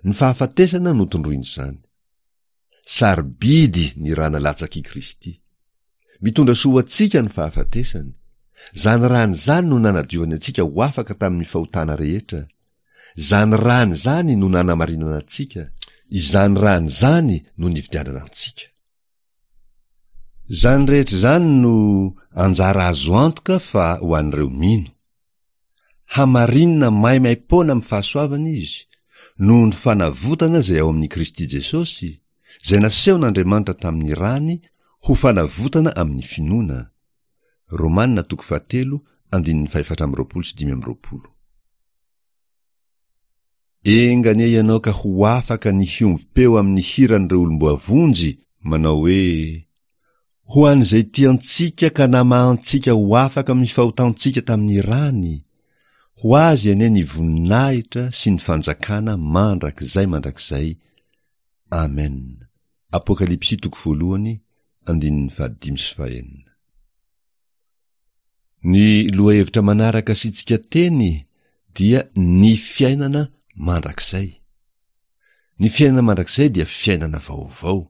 Ny fahafatesana no tondroin'izany. Sarobidy ny rà nalatsak'i Kristy. Mitondra soa ho antsika ny fahafatesany. Izany ràny izany no nanadiovany antsika ho afaka tamin'ny fahotana rehetra. Izany ràny izany no nanamarinana antsika. Izany ràny izany no nividianana antsika. Izany rehetra izany no anjara azo antoka fa ho an'ireo mino. Hamarinina maimaim-poana amin'ny fahasoavana izy, noho ny fanavotana izay ao amin'i Kristy Jesosy, izay nasehon'Andriamanitra tamin'ny ràny ho fanavotana amin'ny finoana. Romana toko fahatelo andininy fahefatra amby roapolo sy dimy amby roapolo. Enga anie ianao ka ho afaka ny hiombom-peo amin'ny hiran'ireo olom-boavonjy manao hoe, Ho an'izay tia antsika ka namaha antsika ho afaka amin'ny fahotantsika tamin'ny ràny, ho azy anie ny voninahitra sy ny fanjakana mandrakizay mandrakizay. Amen. Apokalypsy toko voalohany andininy fahadimy sy fahenina. Ny lohahevitra manaraka asiantsika teny dia ny fiainana mandrakizay. Ny fiainana mandrakizay dia fiainana vaovao.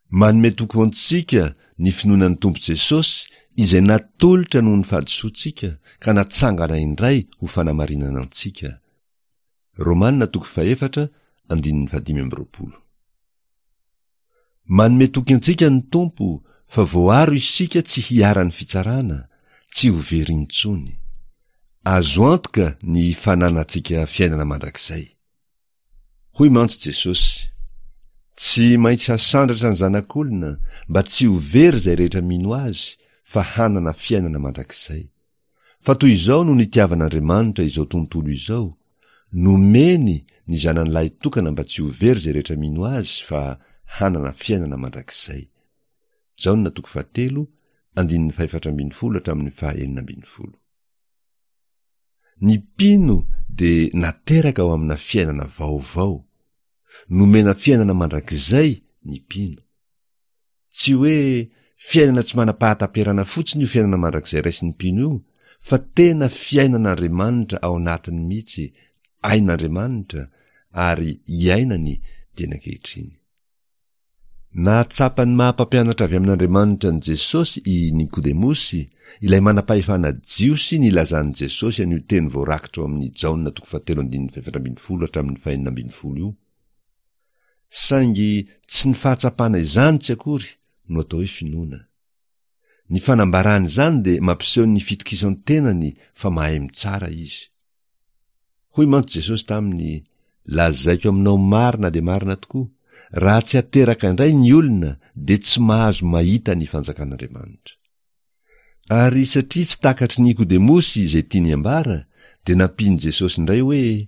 Manome toky ho antsika ny finoana ny Tompo Jesosy izay natolotra noho ny fahadisoantsika ka natsangana indray ho fanamarinana antsika. Romana toko fahefatra andininy fahadimy amby roapolo. Manome toky antsika ny Tompo fa voaaro isika tsy hiharan'ny fitsarana, tsy ho very intsony. Azo antoka ny fananantsika fiainana mandrakizay. Hoy mantsy Jesosy, Tsy maintsy hasandratra ny Zanak'olona mba tsy ho very izay rehetra mino Azy fa hanana fiainana mandrakizay. Fa toy izao no nitiavan'Andriamanitra izao tontolo izao, nomeny ny Zanany lahitokana mba tsy ho very izay rehetra mino Azy fa hanana fiainana mandrakizay. Jaona toko fahatelo, andininy fahefatra ambin'ny folo hatramin'ny fahaenina ambin'ny folo. Ny mpino dia nateraka ao amina fiainana vaovao. Nomena fiainana mandrakizay ny mpino. Tsy hoe fiainana tsy manam-pahataperana fotsiny io fiainana mandrakizay raisin'ny mpino io, fa tena fiainan'Andriamanitra ao anatiny mihitsy, ain'Andriamanitra, ary iainany dieny ankehitriny. Nahatsapa ny maha-mpampianatra avy amin'Andriamanitra an'i Jesosy i Nikodemosy, ilay manam-pahefana jiosy nilazan'i Jesosy an'io teny voarakitra ao amin'ny Jaona toko fahatelo andininy fahefatra ambin'ny folo hatramin'ny fahenina ambin'ny folo io. Saingy tsy ny fahatsapana izany tsy akory no atao hoe finoana. Ny fanambarana izany dia mampiseho ny fitokisan-tenany fa mahay mitsara izy. Hoy mantsy Jesosy taminy, Lazaiko aminao marina dia marina tokoa, raha tsy ateraka indray ny olona dia tsy mahazo mahita ny fanjakan'Andriamanitra. Ary satria tsy takatry Nikodemosy izay tiany ambara, dia nampian'i Jesosy indray hoe,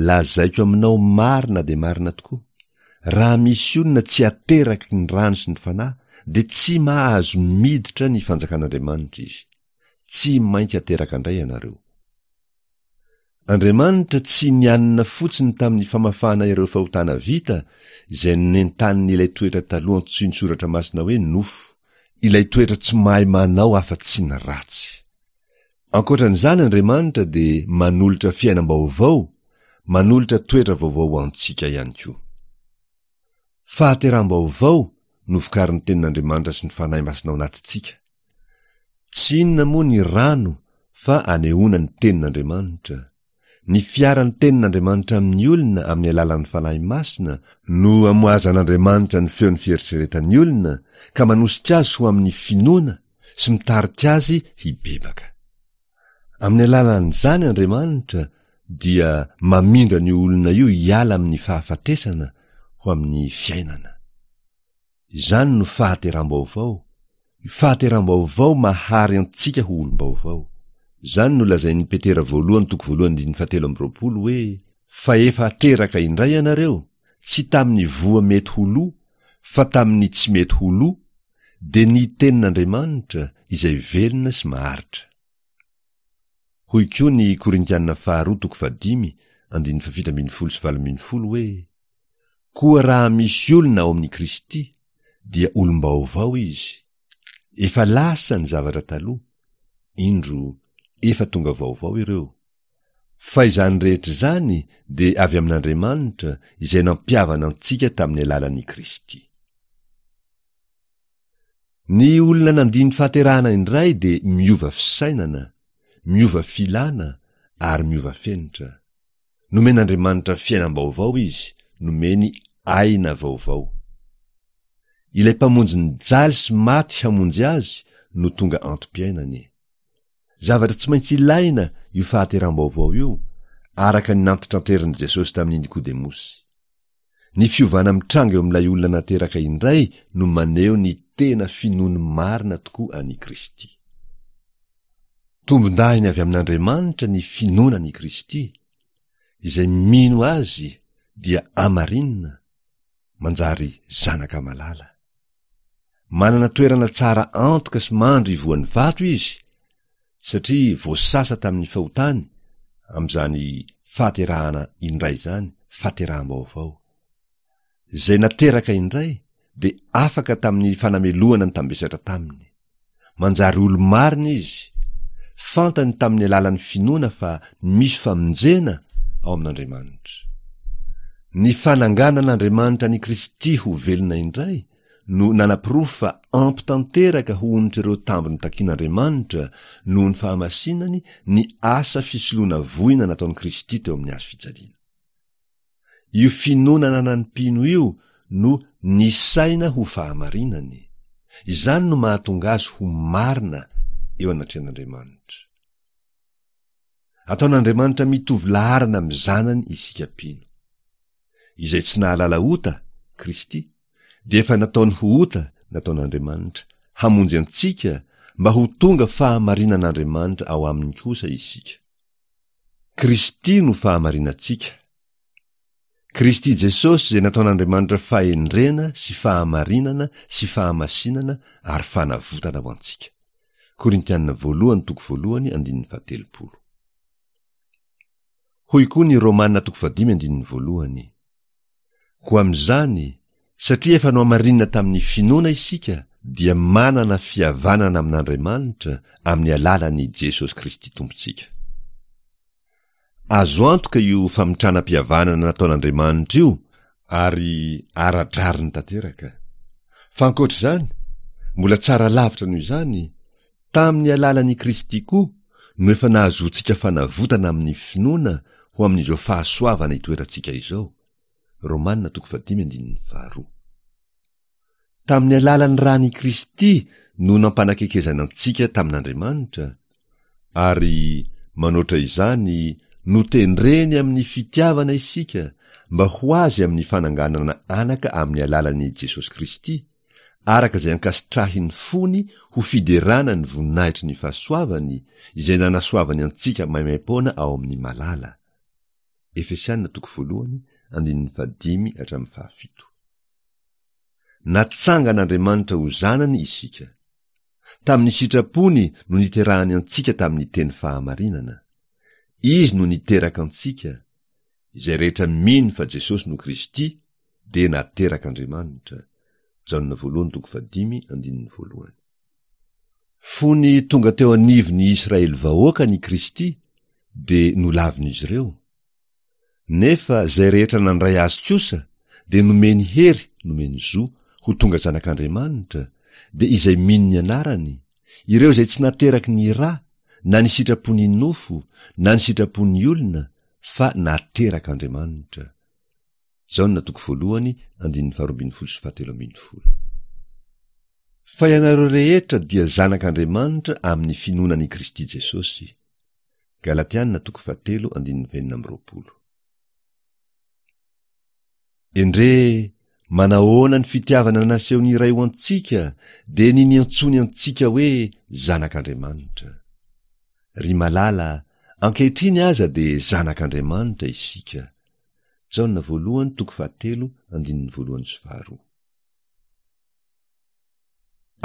Lazaiko aminao marina dia marina tokoa, raha misy olona tsy ateraky ny rano sy ny fanahy, dia tsy mahazo miditra ny fanjakan'Andriamanitra izy. Tsy maintsy ateraka indray ianareo. Andriamanitra tsy nianina fotsiny tamin'ny famafana ireo fahotana vita izay nentanin'ilay toetra taloha antsoin'ny Soratra Masina hoe nofo, ilay toetra tsy mahay manao afa-tsy ny ratsy. Ankoatran'izany Andriamanitra dia manolotra fiainam-baovao, manolotra toetra vaovao ho antsika ihany koa. Fahateraham-baovao no vokarin'ny tenin'Andriamanitra sy ny Fanahy Masina ao anatintsika. Tsy inona moa ny rano fa anehoana ny tenin'Andriamanitra. Ny fiaran'ny tenin'Andriamanitra amin'ny olona amin'ny alalan'ny Fanahy Masina no amoazan'Andriamanitra ny feon'ny fieritreretan'ny olona ka manosika azy ho amin'ny finoana sy mitarika azy hibebaka. Amin'ny alalan'izany Andriamanitra dia mamindra an'io olona io hiala amin'ny fahafatesana ho amin'ny fiainana. Izany no fahateram-baovao, fahateram-baovao mahary antsika ho olom-baovao. Izany no lazain'i Petera voalohany toko voalohany andininy fahatelo amby roapolo hoe, Fa efa teraka indray ianareo, tsy tamin'ny voa mety ho lo, fa tamin'ny tsy mety ho lo, dia ny tenin'Andriamanitra izay velona sy maharitra. Hoy koa ny Korintiana faharoa toko fahadimy andininy fahafito ambin'ny folo sy valo ambin'ny folo hoe, Koa raha misy olona ao amin'i Kristy, dia olom-baovao izy. Efa lasa ny zavatra taloha, indro efa tonga vaovao ireo. Fa izany rehetra izany dia avy amin'Andriamanitra izay nampihavana antsika tamin'ny alalan'i Kristy. Ny olona nandia ny fahaterahana indray dia miova fisainana, miova filana ary miova fenitra. Nomen'Andriamanitra fiainam-baovao izy, nomeny aina vaovao. Ilay Mpamonjy nijaly sy maty hamonjy azy no tonga antom-piainany. Zavatra tsy maintsy ilaina io fahateram-baovao io, araka ny nantitranterin'i Jesosy tamin'i Nikodemosy. Ny fiovana mitranga eo amin'ilay olona nateraka indray no maneho ny tena finoany marina tokoa an'i Kristy. Tombondahiny avy amin'Andriamanitra ny finoana an'i Kristy, izay mino azy dia amarinina, manjary zanaka malala. Manana toerana tsara antoka sy mandry ivohon'ny vato izy, satria voasasa tamin'ny fahotany amin'izany fahaterahana indray izany, fahateraham-baovao. Izay nateraka indray dia afaka tamin'ny fanamelohana nitambesatra taminy. Manjary olo-marina izy. Fantany tamin'ny alalan'ny finoana fa misy famonjena ao amin'Andriamanitra. Ny fananganan'Andriamanitra an'i Kristy ho velona indray no nanaporofo fa ampy tanteraka ho onitr'ireo tambiny takian'Andriamanitra noho ny fahamasinany ny asa fisoloana voina nataon'i Kristy teo amin'ny hazo fijaliana. Io finoana ananan'ny mpino io no nisaina ho fahamarinany. Izany no mahatonga azy ho marina eo anatrehan'Andriamanitra. Ataon'Andriamanitra mitovy laharana amin'ny zanany isika mpino. Izay tsy nahalala ota, Kristy, dia efa nataony ho ota nataon'Andriamanitra hamonjy antsika mba ho tonga fahamarinan'Andriamanitra ao aminy kosa isika. Kristy no fahamarinantsika. Kristy Jesosy izay nataon'Andriamanitra fahendrena sy fahamarinana sy fahamasinana ary fanavotana ho antsika. Korintiana voalohany toko voalohany andininy fahatelopolo. Hoy koa ny Romana toko fahadimy andininy voalohany. Koa amin'izany, satria efa nohamarinina tamin'ny finoana isika, dia manana fihavanana amin'Andriamanitra amin'ny alalan'i Jesosy Kristy Tompontsika. Azo antoka io famitranam-pihavanana nataon'Andriamanitra io ary ara-drariny tanteraka. Fa ankoatra izany, mbola tsara lavitra noho izany, tamin'ny alalan'i Kristy koa no efa nahazoantsika fanavotana amin'ny finoana ho amin'izao fahasoavana itoerantsika izao. Romana toko fahadimy andininy faharoa. Tamin'ny alalan'ny ran'i Kristy no nampanakekezana antsika tamin'Andriamanitra, ary manoatra izany, notendreny amin'ny fitiavana isika mba ho azy amin'ny fananganana anaka amin'ny alalan'i Jesosy Kristy, araka izay ankasitrahin'ny fony ho fiderana ny voninahitry ny fahasoavany izay nanasoavany antsika maimaimpoana ao amin'ny malala. Efesiana toko voalohany, andininy fahadimy hatramin'ny fahafito. Natsangan'Andriamanitra ho zanany isika. Tamin'ny sitrapony no niterahany antsika tamin'ny teny fahamarinana. Izy no niteraka antsika. Izay rehetra mino fa Jesosy no Kristy dia naterak'Andriamanitra. Jaona voalohany toko fahadimy andininy voalohany. Fony tonga teo anivon'ny Israely vahoaka ny Kristy dia nolavin'izy ireo. Nefa izay rehetra nandray azy kosa dia nomeny hery, nomeny zo ho tonga zanak'Andriamanitra, dia izay mino ny anarany, ireo izay tsy nateraky ny ra, na ny sitrapon'ny nofo, na ny sitrapon'ny olona, fa naterak'Andriamanitra. Jaona toko voalohany andininy faharoa ambin'ny folo sy fahatelo ambin'ny folo. Fa ianareo rehetra dia zanak'Andriamanitra amin'ny finoana an'i Kristy Jesosy. Galatiana toko fahatelo andininy fahenina amby roapolo. Endrey manahoana ny fitiavana nasehon'ny Ray ho antsika, dia ny niantsoany antsika hoe zanak'Andriamanitra. Ry malala, ankehitriny aza dia zanak'Andriamanitra isika. Jaona voalohany toko fahatelo andininy voalohany sy faharoa.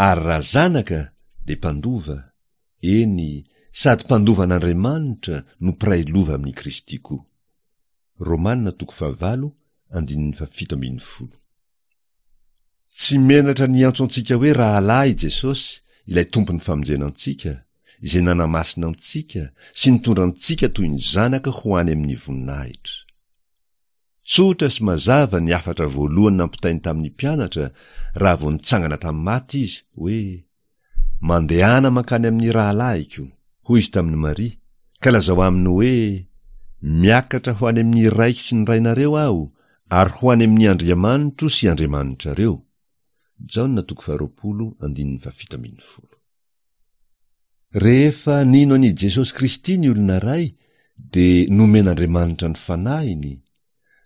Ary raha zanaka dia mpandova, eny, sady mpandova an'Andriamanitra no mpiray lova amin'i Kristy koa. Romana toko fahavalo andininy fahafito ambin'ny folo. Tsy menatra niantso antsika hoe rahalahy Jesosy, ilay tompon'ny famonjena antsika, izay nanamasina antsika sy nitondra antsika toy ny zanaka ho any amin'ny voninahitra. Tsotra sy mazava ny hafatra voalohany nampitainy tamin'ny mpianatra raha vao nitsangana tamin'ny maty izy, hoe: Mandehana mankany amin'ny rahalahiko, hoy izy tamin'i Maria, ka lazao aminy hoe: Miakatra ho any amin'ny Raiko sy ny Rainareo aho, ary ho any amin'ny Andriamanitro sy Andriamanitrareo. Jaona toko faharoapolo andininy fahafito ambin'ny folo. Rehefa nino an'i Jesosy Kristy ny olona iray, dia nomen'Andriamanitra ny Fanahiny,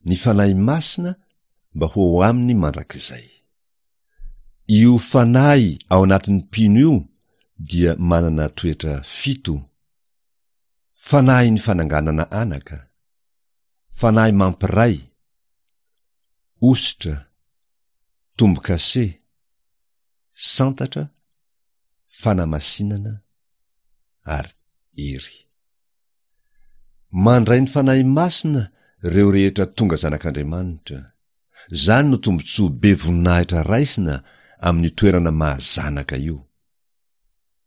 ny Fanahy Masina, mba ho ao aminy mandrakizay. Io Fanahy ao anatin'ny mpino io dia manana toetra fito: Fanahin'ny fananganana anaka, Fanahy mampiray, ositra, tombo-kase, santatra, fanamasinana ary hery. Mandray ny Fanahy Masina ireo rehetra tonga zanak'Andriamanitra. Izany no tombontsoa be voninahitra raisina amin'io toerana maha zanaka io.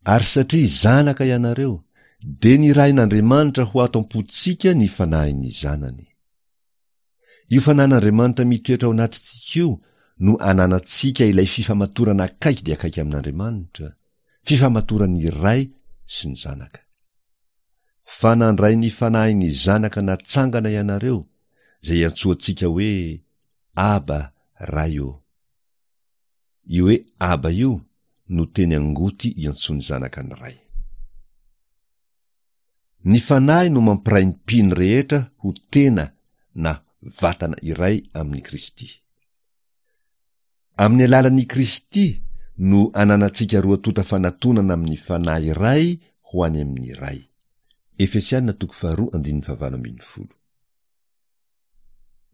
Ary satria zanaka ianareo, dia nirahin'Andriamanitra ho ato am-pontsika ny Fanahin'ny Zanany. Io Fanahin'Andriamanitra mitoetra ao anatintsika io no ananantsika ilay fifamatorana akaiky dia akaiky amin'Andriamanitra, fifamatoran'ny Ray sy ny Zanaka. Fa nandray ny Fanahin'ny Zanaka natsangana ianareo, izay iantsoantsika hoe Aba, Ray ô. Io hoe Aba io no teny angoty iantsoan'ny Zanaka ny Ray. Ny Fanahy no mampiray ny mpino rehetra ho tena na vatana iray amin'i Kristy. Amin'ny alalan'i Kristy no ananantsika roa tonta fanatonana amin'ny Fanahy iray ho any amin'ny Ray. Efesiana toko faharoa andininy fahavalo ambin'ny folo.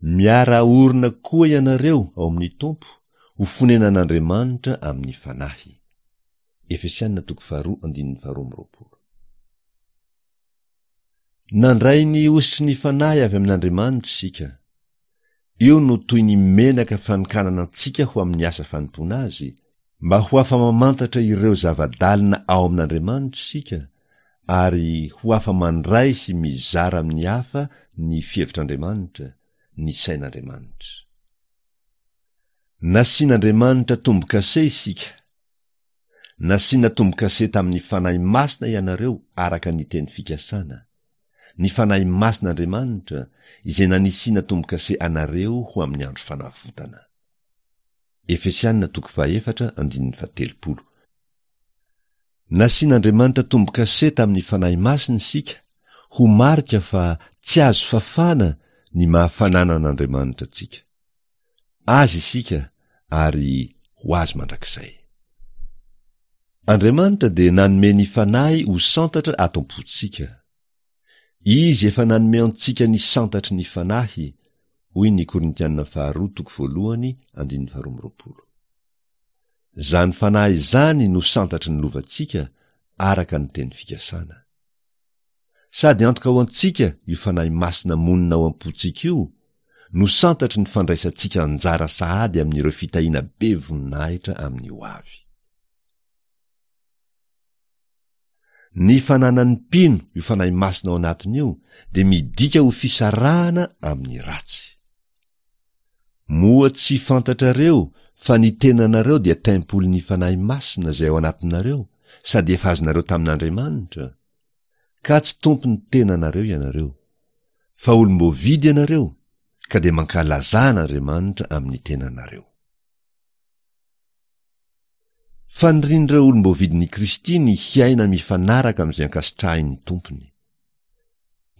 Miara-orina koa ianareo ao amin'ny Tompo ho fonenan'Andriamanitra amin'ny Fanahy. Efesiana toko faharoa andininy faharoa amby roapolo. Nandray ny hosotry ny Fanahy avy amin'Andriamanitra isika. Io no toy ny menaka fanokanana antsika ho amin'ny asa fanompoana Azy, mba ho afa-mamantatra ireo zava-dalina ao amin'Andriamanitra isika, ary ho afa-mandray sy mizara amin'ny hafa ny fihevitr'Andriamanitra, ny sain'Andriamanitra. Nasian'Andriamanitra tombo-kase isika. Nasiana tombo-kase tamin'ny Fanahy Masina ianareo araka ny teny fikasana. Ny Fanahy Masin'Andriamanitra izay nanisiana tombo-kase anareo ho amin'ny andro fanavotana. Efesiana toko fahefatra andininy fahatelopolo. Nasian'Andriamanitra tombo-kase tamin'ny Fanahy Masina isika ho marika fa tsy azo fafana ny maha fananan'Andriamanitra antsika. Azy isika ary ho azy mandrakizay. Andriamanitra dia nanome ny Fanahy ho santatra ato am-pontsika. Izy efa nanome antsika ny santatry ny Fanahy, hoy ny Korintiana faharoa toko voalohany andininy faharoa amby roapolo. Izany Fanahy izany no santatry ny lovantsika araka ny teny fikasana. Sady antoka ho antsika io Fanahy Masina monina ao am-pontsika io no santatry ny fandraisantsika anjara sahady amin'ireo fitahiana be voninahitra amin'ny ho avy. Ny fananan'ny mpino io Fanahy Masina ao anatiny io dia midika ho fisarahana amin'ny ratsy. Moa tsy fantatrareo fa ny tenanareo dia tempolin'ny Fanahy Masina izay ao anatinareo sady efa azonareo tamin'Andriamanitra? Ka tsy tompon'ny tenanareo ianareo, fa olom-boavidy ianareo, ka dia mankalazà an'Andriamanitra amin'ny tenanareo. Fanirian'ireo olom-boavidin'i Kristy ny hiaina mifanaraka amin'izay ankasitrahin'ny Tompony.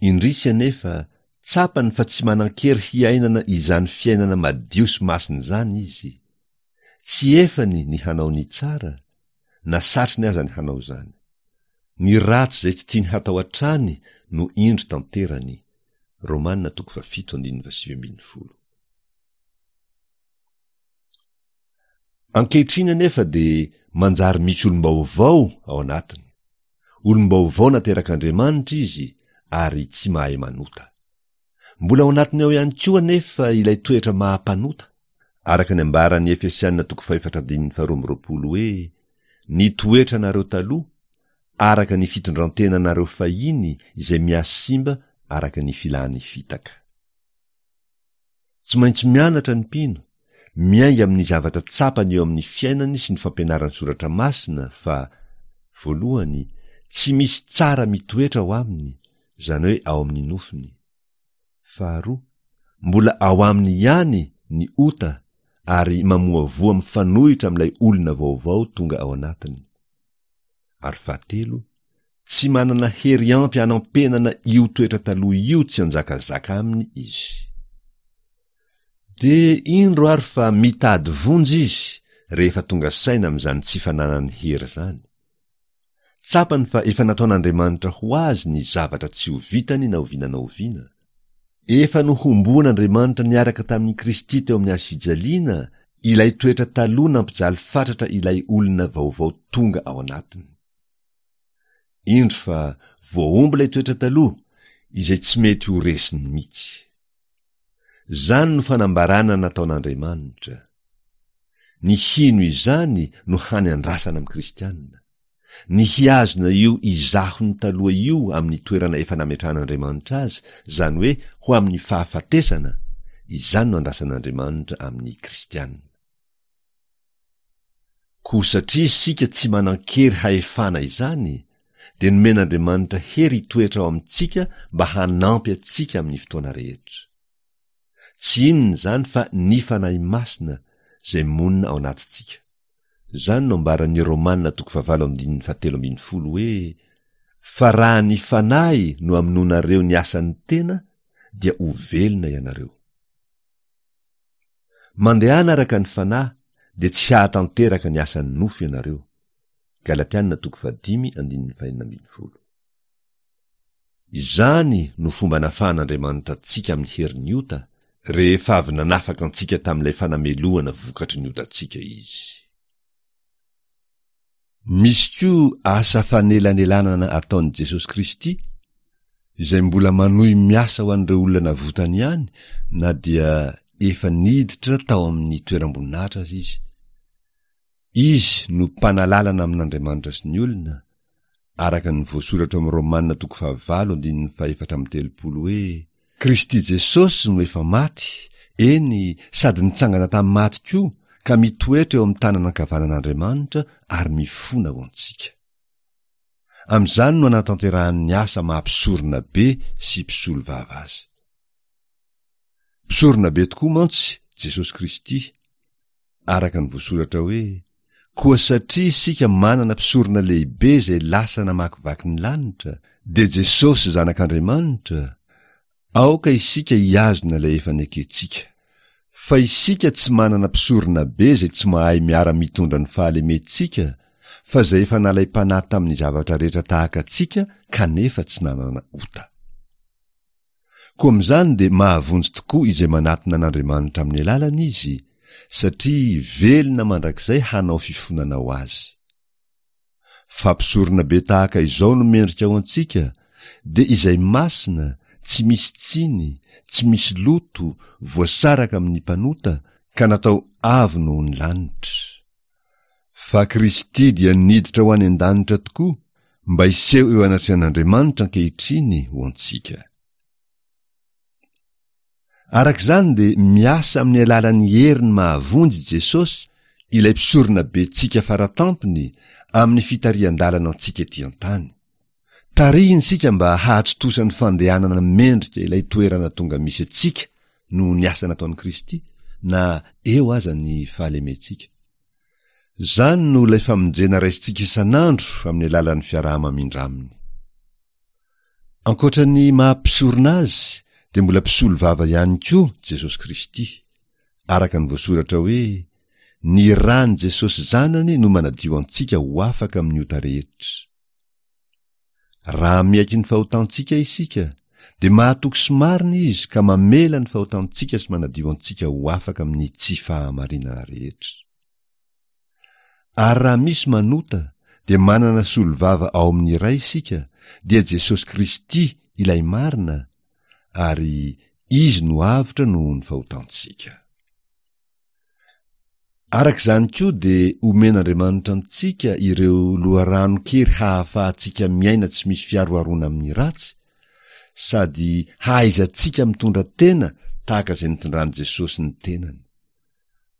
Indrisy anefa, tsapany fa tsy manan-kery hiainana izany fiainana madio sy masina izany izy. Tsy efany ny hanao ny tsara, na satriny aza ny hanao izany. Ny ratsy izay tsy tiany hatao hatrany no indro tanterany. Romana toko fahafito andininy fahasivy ambin'ny folo. Ankehitriny anefa dia manjary misy olom-baovao ao anatiny. Olom-baovao naterak'Andriamanitra izy ary tsy mahay manota. Mbola ao anatiny ao ihany koa anefa ilay toetra maha-mpanota, araka ny ambaran'ny Efesiana toko fahefatra andininy faharoa amby roapolo hoe ny toetranareo taloha, araka ny fitondran-tenanareo fahiny izay mihasimba araka ny filan'ny fitaka. Tsy maintsy mianatra ny mpino, miainga amin'ny zavatra tsapany eo amin'ny fiainany sy ny fampianaran'ny Soratra Masina fa, voalohany, tsy misy tsara mitoetra ao aminy, izany hoe ao amin'ny nofony. Faharoa, mbola ao aminy ihany ny ota ary mamoavoa mifanohitra amin'ilay olona vaovao tonga ao anatiny. Ary fahatelo, tsy manana hery ampy hanampenana io toetra taloha io tsy hanjakazaka aminy izy. Dia indro ary fa mitady vonjy izy rehefa tonga saina amin'izany tsy fananany hery izany. Tsapany fa efa nataon'Andriamanitra ho azy ny zavatra tsy ho vitany na oviana na oviana. Efa nohomboan'Andriamanitra niaraka tamin'i Kristy teo amin'ny hazo fijaliana ilay toetra taloha nampijaly fatratra ilay olona vaovao tonga ao anatiny. Indro fa voahombo ilay toetra taloha izay tsy mety ho resiny mihitsy. Izany no fanambarana nataon'Andriamanitra. Ny hino izany no hany andrasana amin'ny kristiana. Ny hihazona io izahony taloha io amin'ny toerana efa nametrahan'Andriamanitra azy, izany hoe ho amin'ny fahafatesana, izany no andrasan'Andriamanitra amin'ny kristiana. Koa satria isika tsy manan-kery hahefana izany, dia nomen'Andriamanitra hery hitoetra ao amintsika mba hanampy antsika amin'ny fotoana rehetra. Tsy inona izany fa ny Fanahy Masina izay monina ao anatintsika. Izany no ambaran'ny Romana toko fahavalo andininy fahatelo ambin'ny folo hoe fa raha ny Fanahy no amonoanareo ny asan'ny tena dia ho velona ianareo. Mandehana araka ny Fanahy dia tsy hahatanteraka ny asan'ny nofo ianareo. Galatiana toko fahadimy andininy fahenina ambin'ny folo. Izany no fomba nafahan'Andriamanitra antsika amin'ny herin'ny ota, rehefa avy nanafaka antsika tamin'ilay fanamelohana vokatry ny otantsika izy. Misy koa asa fanelanelanana ataon'i Jesosy Kristy, izay mbola manohy miasa ho an'ireo olona navotany ihany na dia efa niditra tao amin'ny toeram-boninahitra aza izy. Izy no mpanalalana amin'Andriamanitra sy ny olona, araka ny voasoratra ao amin'ny Romana toko fahavalo andininy fahefatra amby telopolo hoe Kristy Jesosy no efa maty, eny sady nitsangana tamin'ny maty koa ka mitoetra eo amin'ny tanana ankavanan'Andriamanitra ary mifona ho antsika. Amin'izany no anatanterahany ny asa maha mpisorona be sy mpisolo vava azy. Mpisorona be tokoa mantsy Jesosy Kristy, araka ny voasoratra hoe: Koa satria isika manana mpisorona lehibe izay lasa namakivaky ny lanitra, dia Jesosy Zanak'Andriamanitra, aoka isika hihazona ilay efa nekentsika. Fa isika tsy manana mpisorona be izay tsy mahay miara-mitondra ny fahalementsika, fa izay efa nalaim-panahy tamin'ny zavatra rehetra tahaka antsika kanefa tsy nanana ota. Koa amin'izany dia mahavonjy tokoa izay manatona an'Andriamanitra amin'ny alalany izy, satria velona mandrakizay hanao fifonana ho azy. Fa mpisorona be tahaka izao no mendrika ho antsika, dia izay masina, tsy misy tsiny, tsy misy loto, voasaraka amin'ny mpanota, ka natao avo noho ny lanitra. Fa Kristy dia niditra ho any an-danitra tokoa, mba hiseho eo anatrehan'Andriamanitra ankehitriny ho antsika. Araka izany dia miasa amin'ny alalan'ny heriny mahavonjy i Jesosy, ilay mpisorona bentsika faratampony, amin'ny fitarihan-dalana antsika ety an-tany. Tarihiny isika mba hahatontosa ny fandehanana mendrika ilay toerana tonga misy antsika noho ny asa nataon'i Kristy, na eo aza ny fahalementsika. Izany no ilay famonjena raisintsika isan'andro amin'ny alalan'ny fiaraha-mamindra aminy. Ankoatra ny maha mpisorona azy dia mbola mpisolo vava ihany koa Jesosy Kristy, araka ny voasoratra hoe: Ny ran'i Jesosy Zanany no manadio antsika ho afaka amin'ny ota rehetra. Raha miaiky ny fahotantsika isika, dia mahatoky sy marina Izy ka mamela ny fahotantsika sy manadio antsika ho afaka amin'ny tsy fahamarinana rehetra. Ary raha misy manota, dia manana solovava ao amin'ny Ray isika, dia Jesosy Kristy ilay marina, ary Izy no avotra noho ny fahotantsika. Araka izany koa dia omen'Andriamanitra antsika ireo loharanon-kery hahafahantsika miaina tsy misy fiaroharoana amin'ny ratsy, sady hahaizantsika mitondra tena tahaka izay nitondran'i Jesosy ny tenany.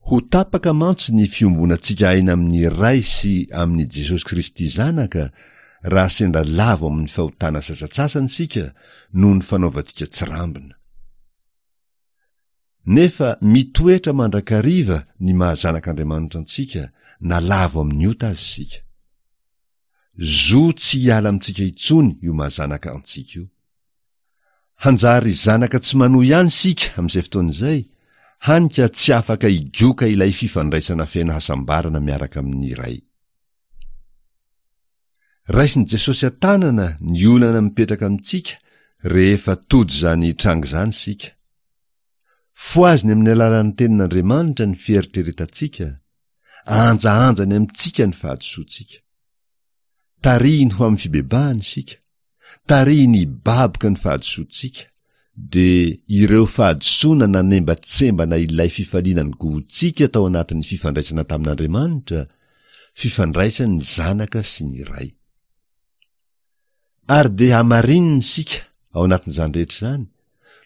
Ho tapaka mantsy ny fiombonantsika aina amin'ny Ray sy amin'i Jesosy Kristy Zanaka raha sendra lavo amin'ny fahotana sasantsasany isika noho ny fanaovantsika tsirambina. Nefa mitoetra mandrakariva ny maha zanak'Andriamanitra antsika na lavo amin'ny ota aza isika. Zo tsy hiala amintsika intsony io maha zanaka antsika io. Hanjary zanaka tsy manoa ihany isika amin'izay fotoana izay, hany ka tsy afaka higoka ilay fifandraisana feno hasambarana miaraka amin'ny Ray. Raisin'i Jesosy an-tanana ny olana mipetraka amintsika rehefa tojo izany tranga izany isika. Fohaziny amin'ny alalan'ny tenin'Andriamanitra ny fieritreretantsika, ahanjahanjany amintsika ny fahadisoantsika. Tarihiny ho amin'ny fibebahana isika, tarihiny hibaboka ny fahadisoantsika, dia ireo fahadisoana nanembatsembana ilay fifaliana nigohontsika tao anatin'ny fifandraisana tamin'Andriamanitra, fifandraisan'ny Zanaka sy ny Ray. Ary dia hamarinina isika ao anatin'izany rehetra izany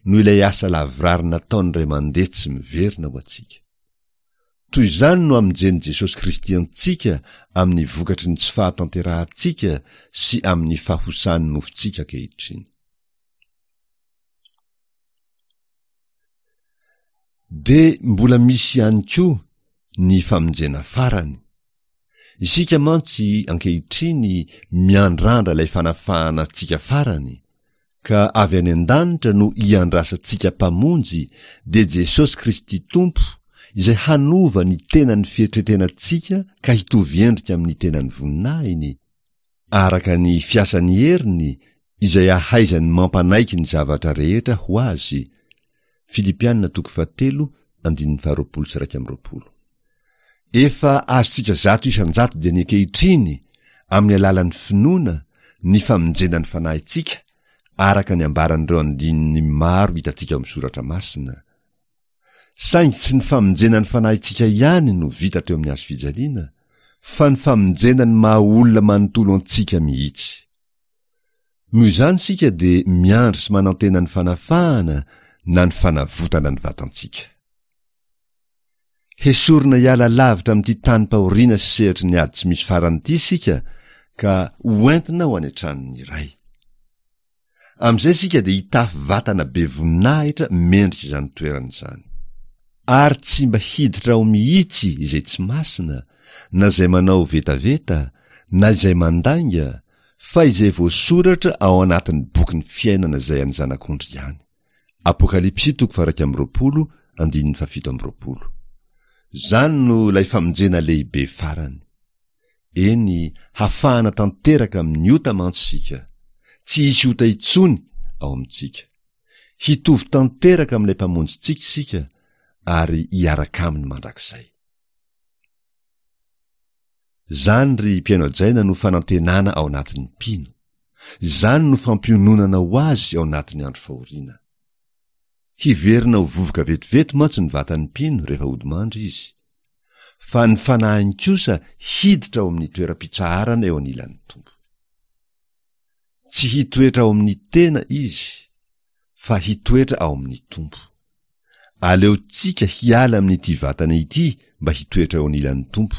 noho ilay asa lavorary nataon'ny Ray mandeha tsy miverina ho antsika. Toy izany no amonjen'i Jesosy Kristy antsika amin'ny vokatry ny tsy fahatanterahantsika sy amin'ny fahosan'ny nofontsika ankehitriny. Dia mbola misy ihany koa ny famonjena farany. Isika mantsy ankehitriny miandrandra ilay fanafahana antsika farany, ka avy any an-danitra no iandrasantsika Mpamonjy, dia Jesosy Kristy Tompo, izay hanova ny tenan'ny fietretenantsika ka hitovy endrika amin'ny tenan'ny voninahiny, araka ny fiasan'ny heriny izay ahaizany mampanaiky ny zavatra rehetra ho azy, Filipiana toko fahatelo andininy faharoapolo sy iraika amby roapolo. Efa azontsika zato isan-jato dia ny ankehitriny, amin'ny alalan'ny finoana, ny famonjena ny fanahintsika, araka ny ambaran'ireo andininy maro hitantsika ao amin'ny Soratra Masina. Saingy tsy ny famonjena ny fanahintsika ihany no vita teo amin'ny hazo fijaliana, fa ny famonjena ny maha olona manontolo antsika mihitsy. Noho izany isika dia miandry sy manantena ny fanafahana na ny fanavotana ny vatantsika. Hesorina hiala lavitra amin'ity tanim-pahoriana sy sehatry ny ady tsy misy farany ity isika ka hoentina ho any an-tranon'ny Ray. Amin'izay isika dia hitafy vatana be voninahitra mendrika izany toerana izany. Ary tsy mba hiditra ao mihitsy izay tsy masina, na izay manao vetaveta, na izay mandainga, fa izay voasoratra ao anatin'ny bokin'ny fiainana izay an'ny Zanak'ondry ihany. Apokalypsy toko faha-iraika amby roapolo, andininy fahafito amby roapolo. Izany no ilay famonjena lehibe farany. Eny, hafahana tanteraka amin'ny ota mantsy isika. Tsy hisy ota intsony ao amintsika. Hitovy tanteraka amin'ilay Mpamonjintsika isika ary hiaraka aminy mandrakizay. Izany ry mpihaino hajaina no fanantenana ao anatin'ny mpino. Izany no fampiononana ho azy ao anatin'ny andro fahoriana. Hiverina ho vovoka vetivety mantsy ny vatan'ny mpino rehefa hodimandry izy. Fa ny fanahiny kosa hiditra ao amin'ny toeram-pitsaharana eo anilan'ny Tompo. Tsy hitoetra ao amin'ny tena izy, fa hitoetra ao amin'ny Tompo. Aleontsika hiala amin'ity vatana ity mba hitoetra eo anilan'ny Tompo.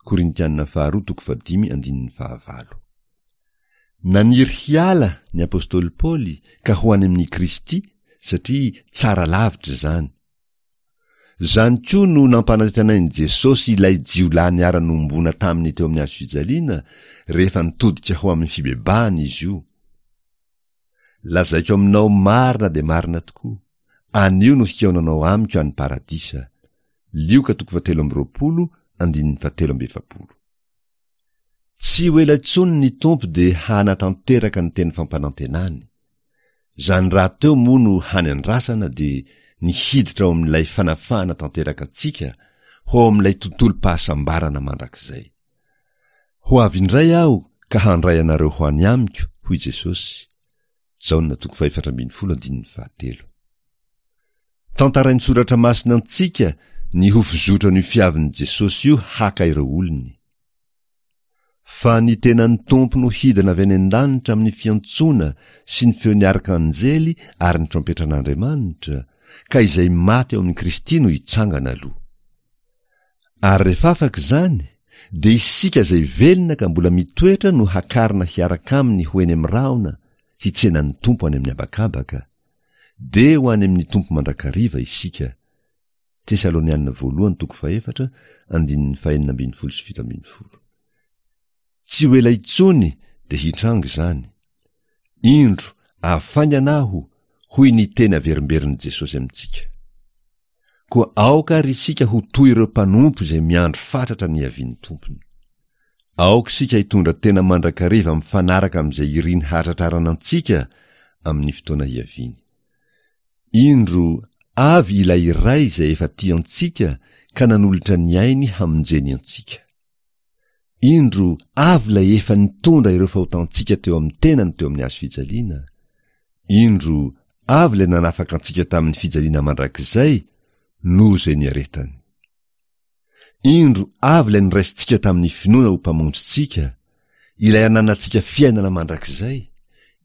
Korintiana faharoa toko fahadimy andininy fahavalo. Naniry hiala ny apostoly Paoly ka ho any amin'i Kristy satria tsara lavitra izany. Izany koa no nampanantenain'i Jesosy ilay jiolahy niara-nohomboana taminy teo amin'ny hazo fijaliana rehefa nitodika ho amin'ny fibebahana izy io. Lazaiko aminao marina dia marina tokoa, anio no hihaonanao amiko any Paradisa. Lioka toko fahatelo amby roapolo, andininy fahatelo amby efapolo. Tsy ho ela intsony ny Tompo dia hanatanteraka ny teny fampanantenany. Izany rahateo moa no hany andrasana dia ny hiditra ao amin'ilay fanafahana tanteraka antsika ho ao amin'ilay tontolom-pahasambarana mandrakizay. Ho avy indray aho ka handray anareo ho any amiko, hoy Jesosy. Jaona toko fahefatra ambin'ny folo andininy fahatelo. Tantarain'ny Soratra Masina antsika ny ho fizotran'io fiavin'i Jesosy io haka ireo olony. Fa ny tenan'ny Tompo no hidina avy any an-danitra amin'ny fiantsoana sy ny feon'ny arkanjely ary ny trompetran'Andriamanitra, ka izay maty ao amin'i Kristy no hitsangana aloha. Ary rehefa afaka izany, dia isika izay velona ka mbola mitoetra no hakarina hiaraka aminy ho eny amin'ny rahona hitsena ny Tompo any amin'ny habakabaka. Dia ho any amin'ny Tompo mandrakariva isika. Tesaloniana voalohany toko fahefatra, andininy fahenina ambin'ny folo sy fito ambin'ny folo. Tsy ho ela intsony dia hitranga izany. Indro, avy faingana aho, hoy ny teny averimberin'i Jesosy amintsika. Koa aoka àry isika ho toy ireo mpanompo izay miandry fatratra ny hiavian'ny Tompony. Aoka isika hitondra tena mandrakariva mifanaraka amin'izay iriny hahatratrarana antsika amin'ny fotoana hiaviany. Indro avy ilay iray izay efa tia antsika ka nanolotra ny ainy hamonjeny antsika. Indro avy ilay efa nitondra ireo fahotantsika teo amin'ny tenany teo amin'ny hazo fijaliana. Indro avy ilay nanafaka antsika tamin'ny fijaliana mandrakizay noho izay niaretany. Indro avy ilay noraisintsika tamin'ny finoana ho Mpamonjintsika, ilay ananantsika fiainana mandrakizay,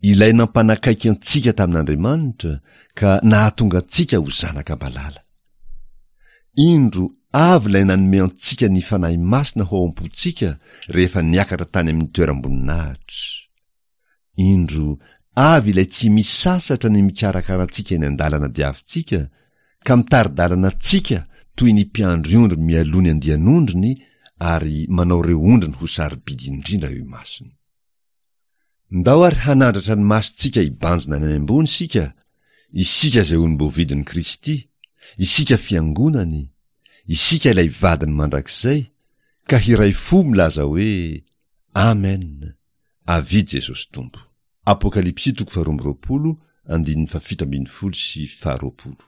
ilay nampanakaiky antsika tamin'Andriamanitra ka nahatonga antsika ho zanaka malala. Indro avy ilay nanome antsika ny Fanahy Masina ho ao am-pontsika rehefa niakatra tany amin'ny toeram-boninahitra. Indro avy ilay tsy misasatra ny mikarakara antsika eny an-dalana diavintsika ka mitari-dalana antsika toy ny mpiandry ondry mialoha ny andian'ondriny ary manao ireo ondriny ho sarobidy indrindra eo imasony. Ndao ary hanandratra ny masontsika hibanjina any ambony isika, isika izay olom-boavidin'i Kristy, isika fiangonany, isika ilay vadiny mandrakizay, ka hiray fo milaza hoe, Amen! Avia Jesosy Tompo. Apokalypsy toko faharoa amby roapolo, andininy fahafito ambin'ny folo sy faharoapolo.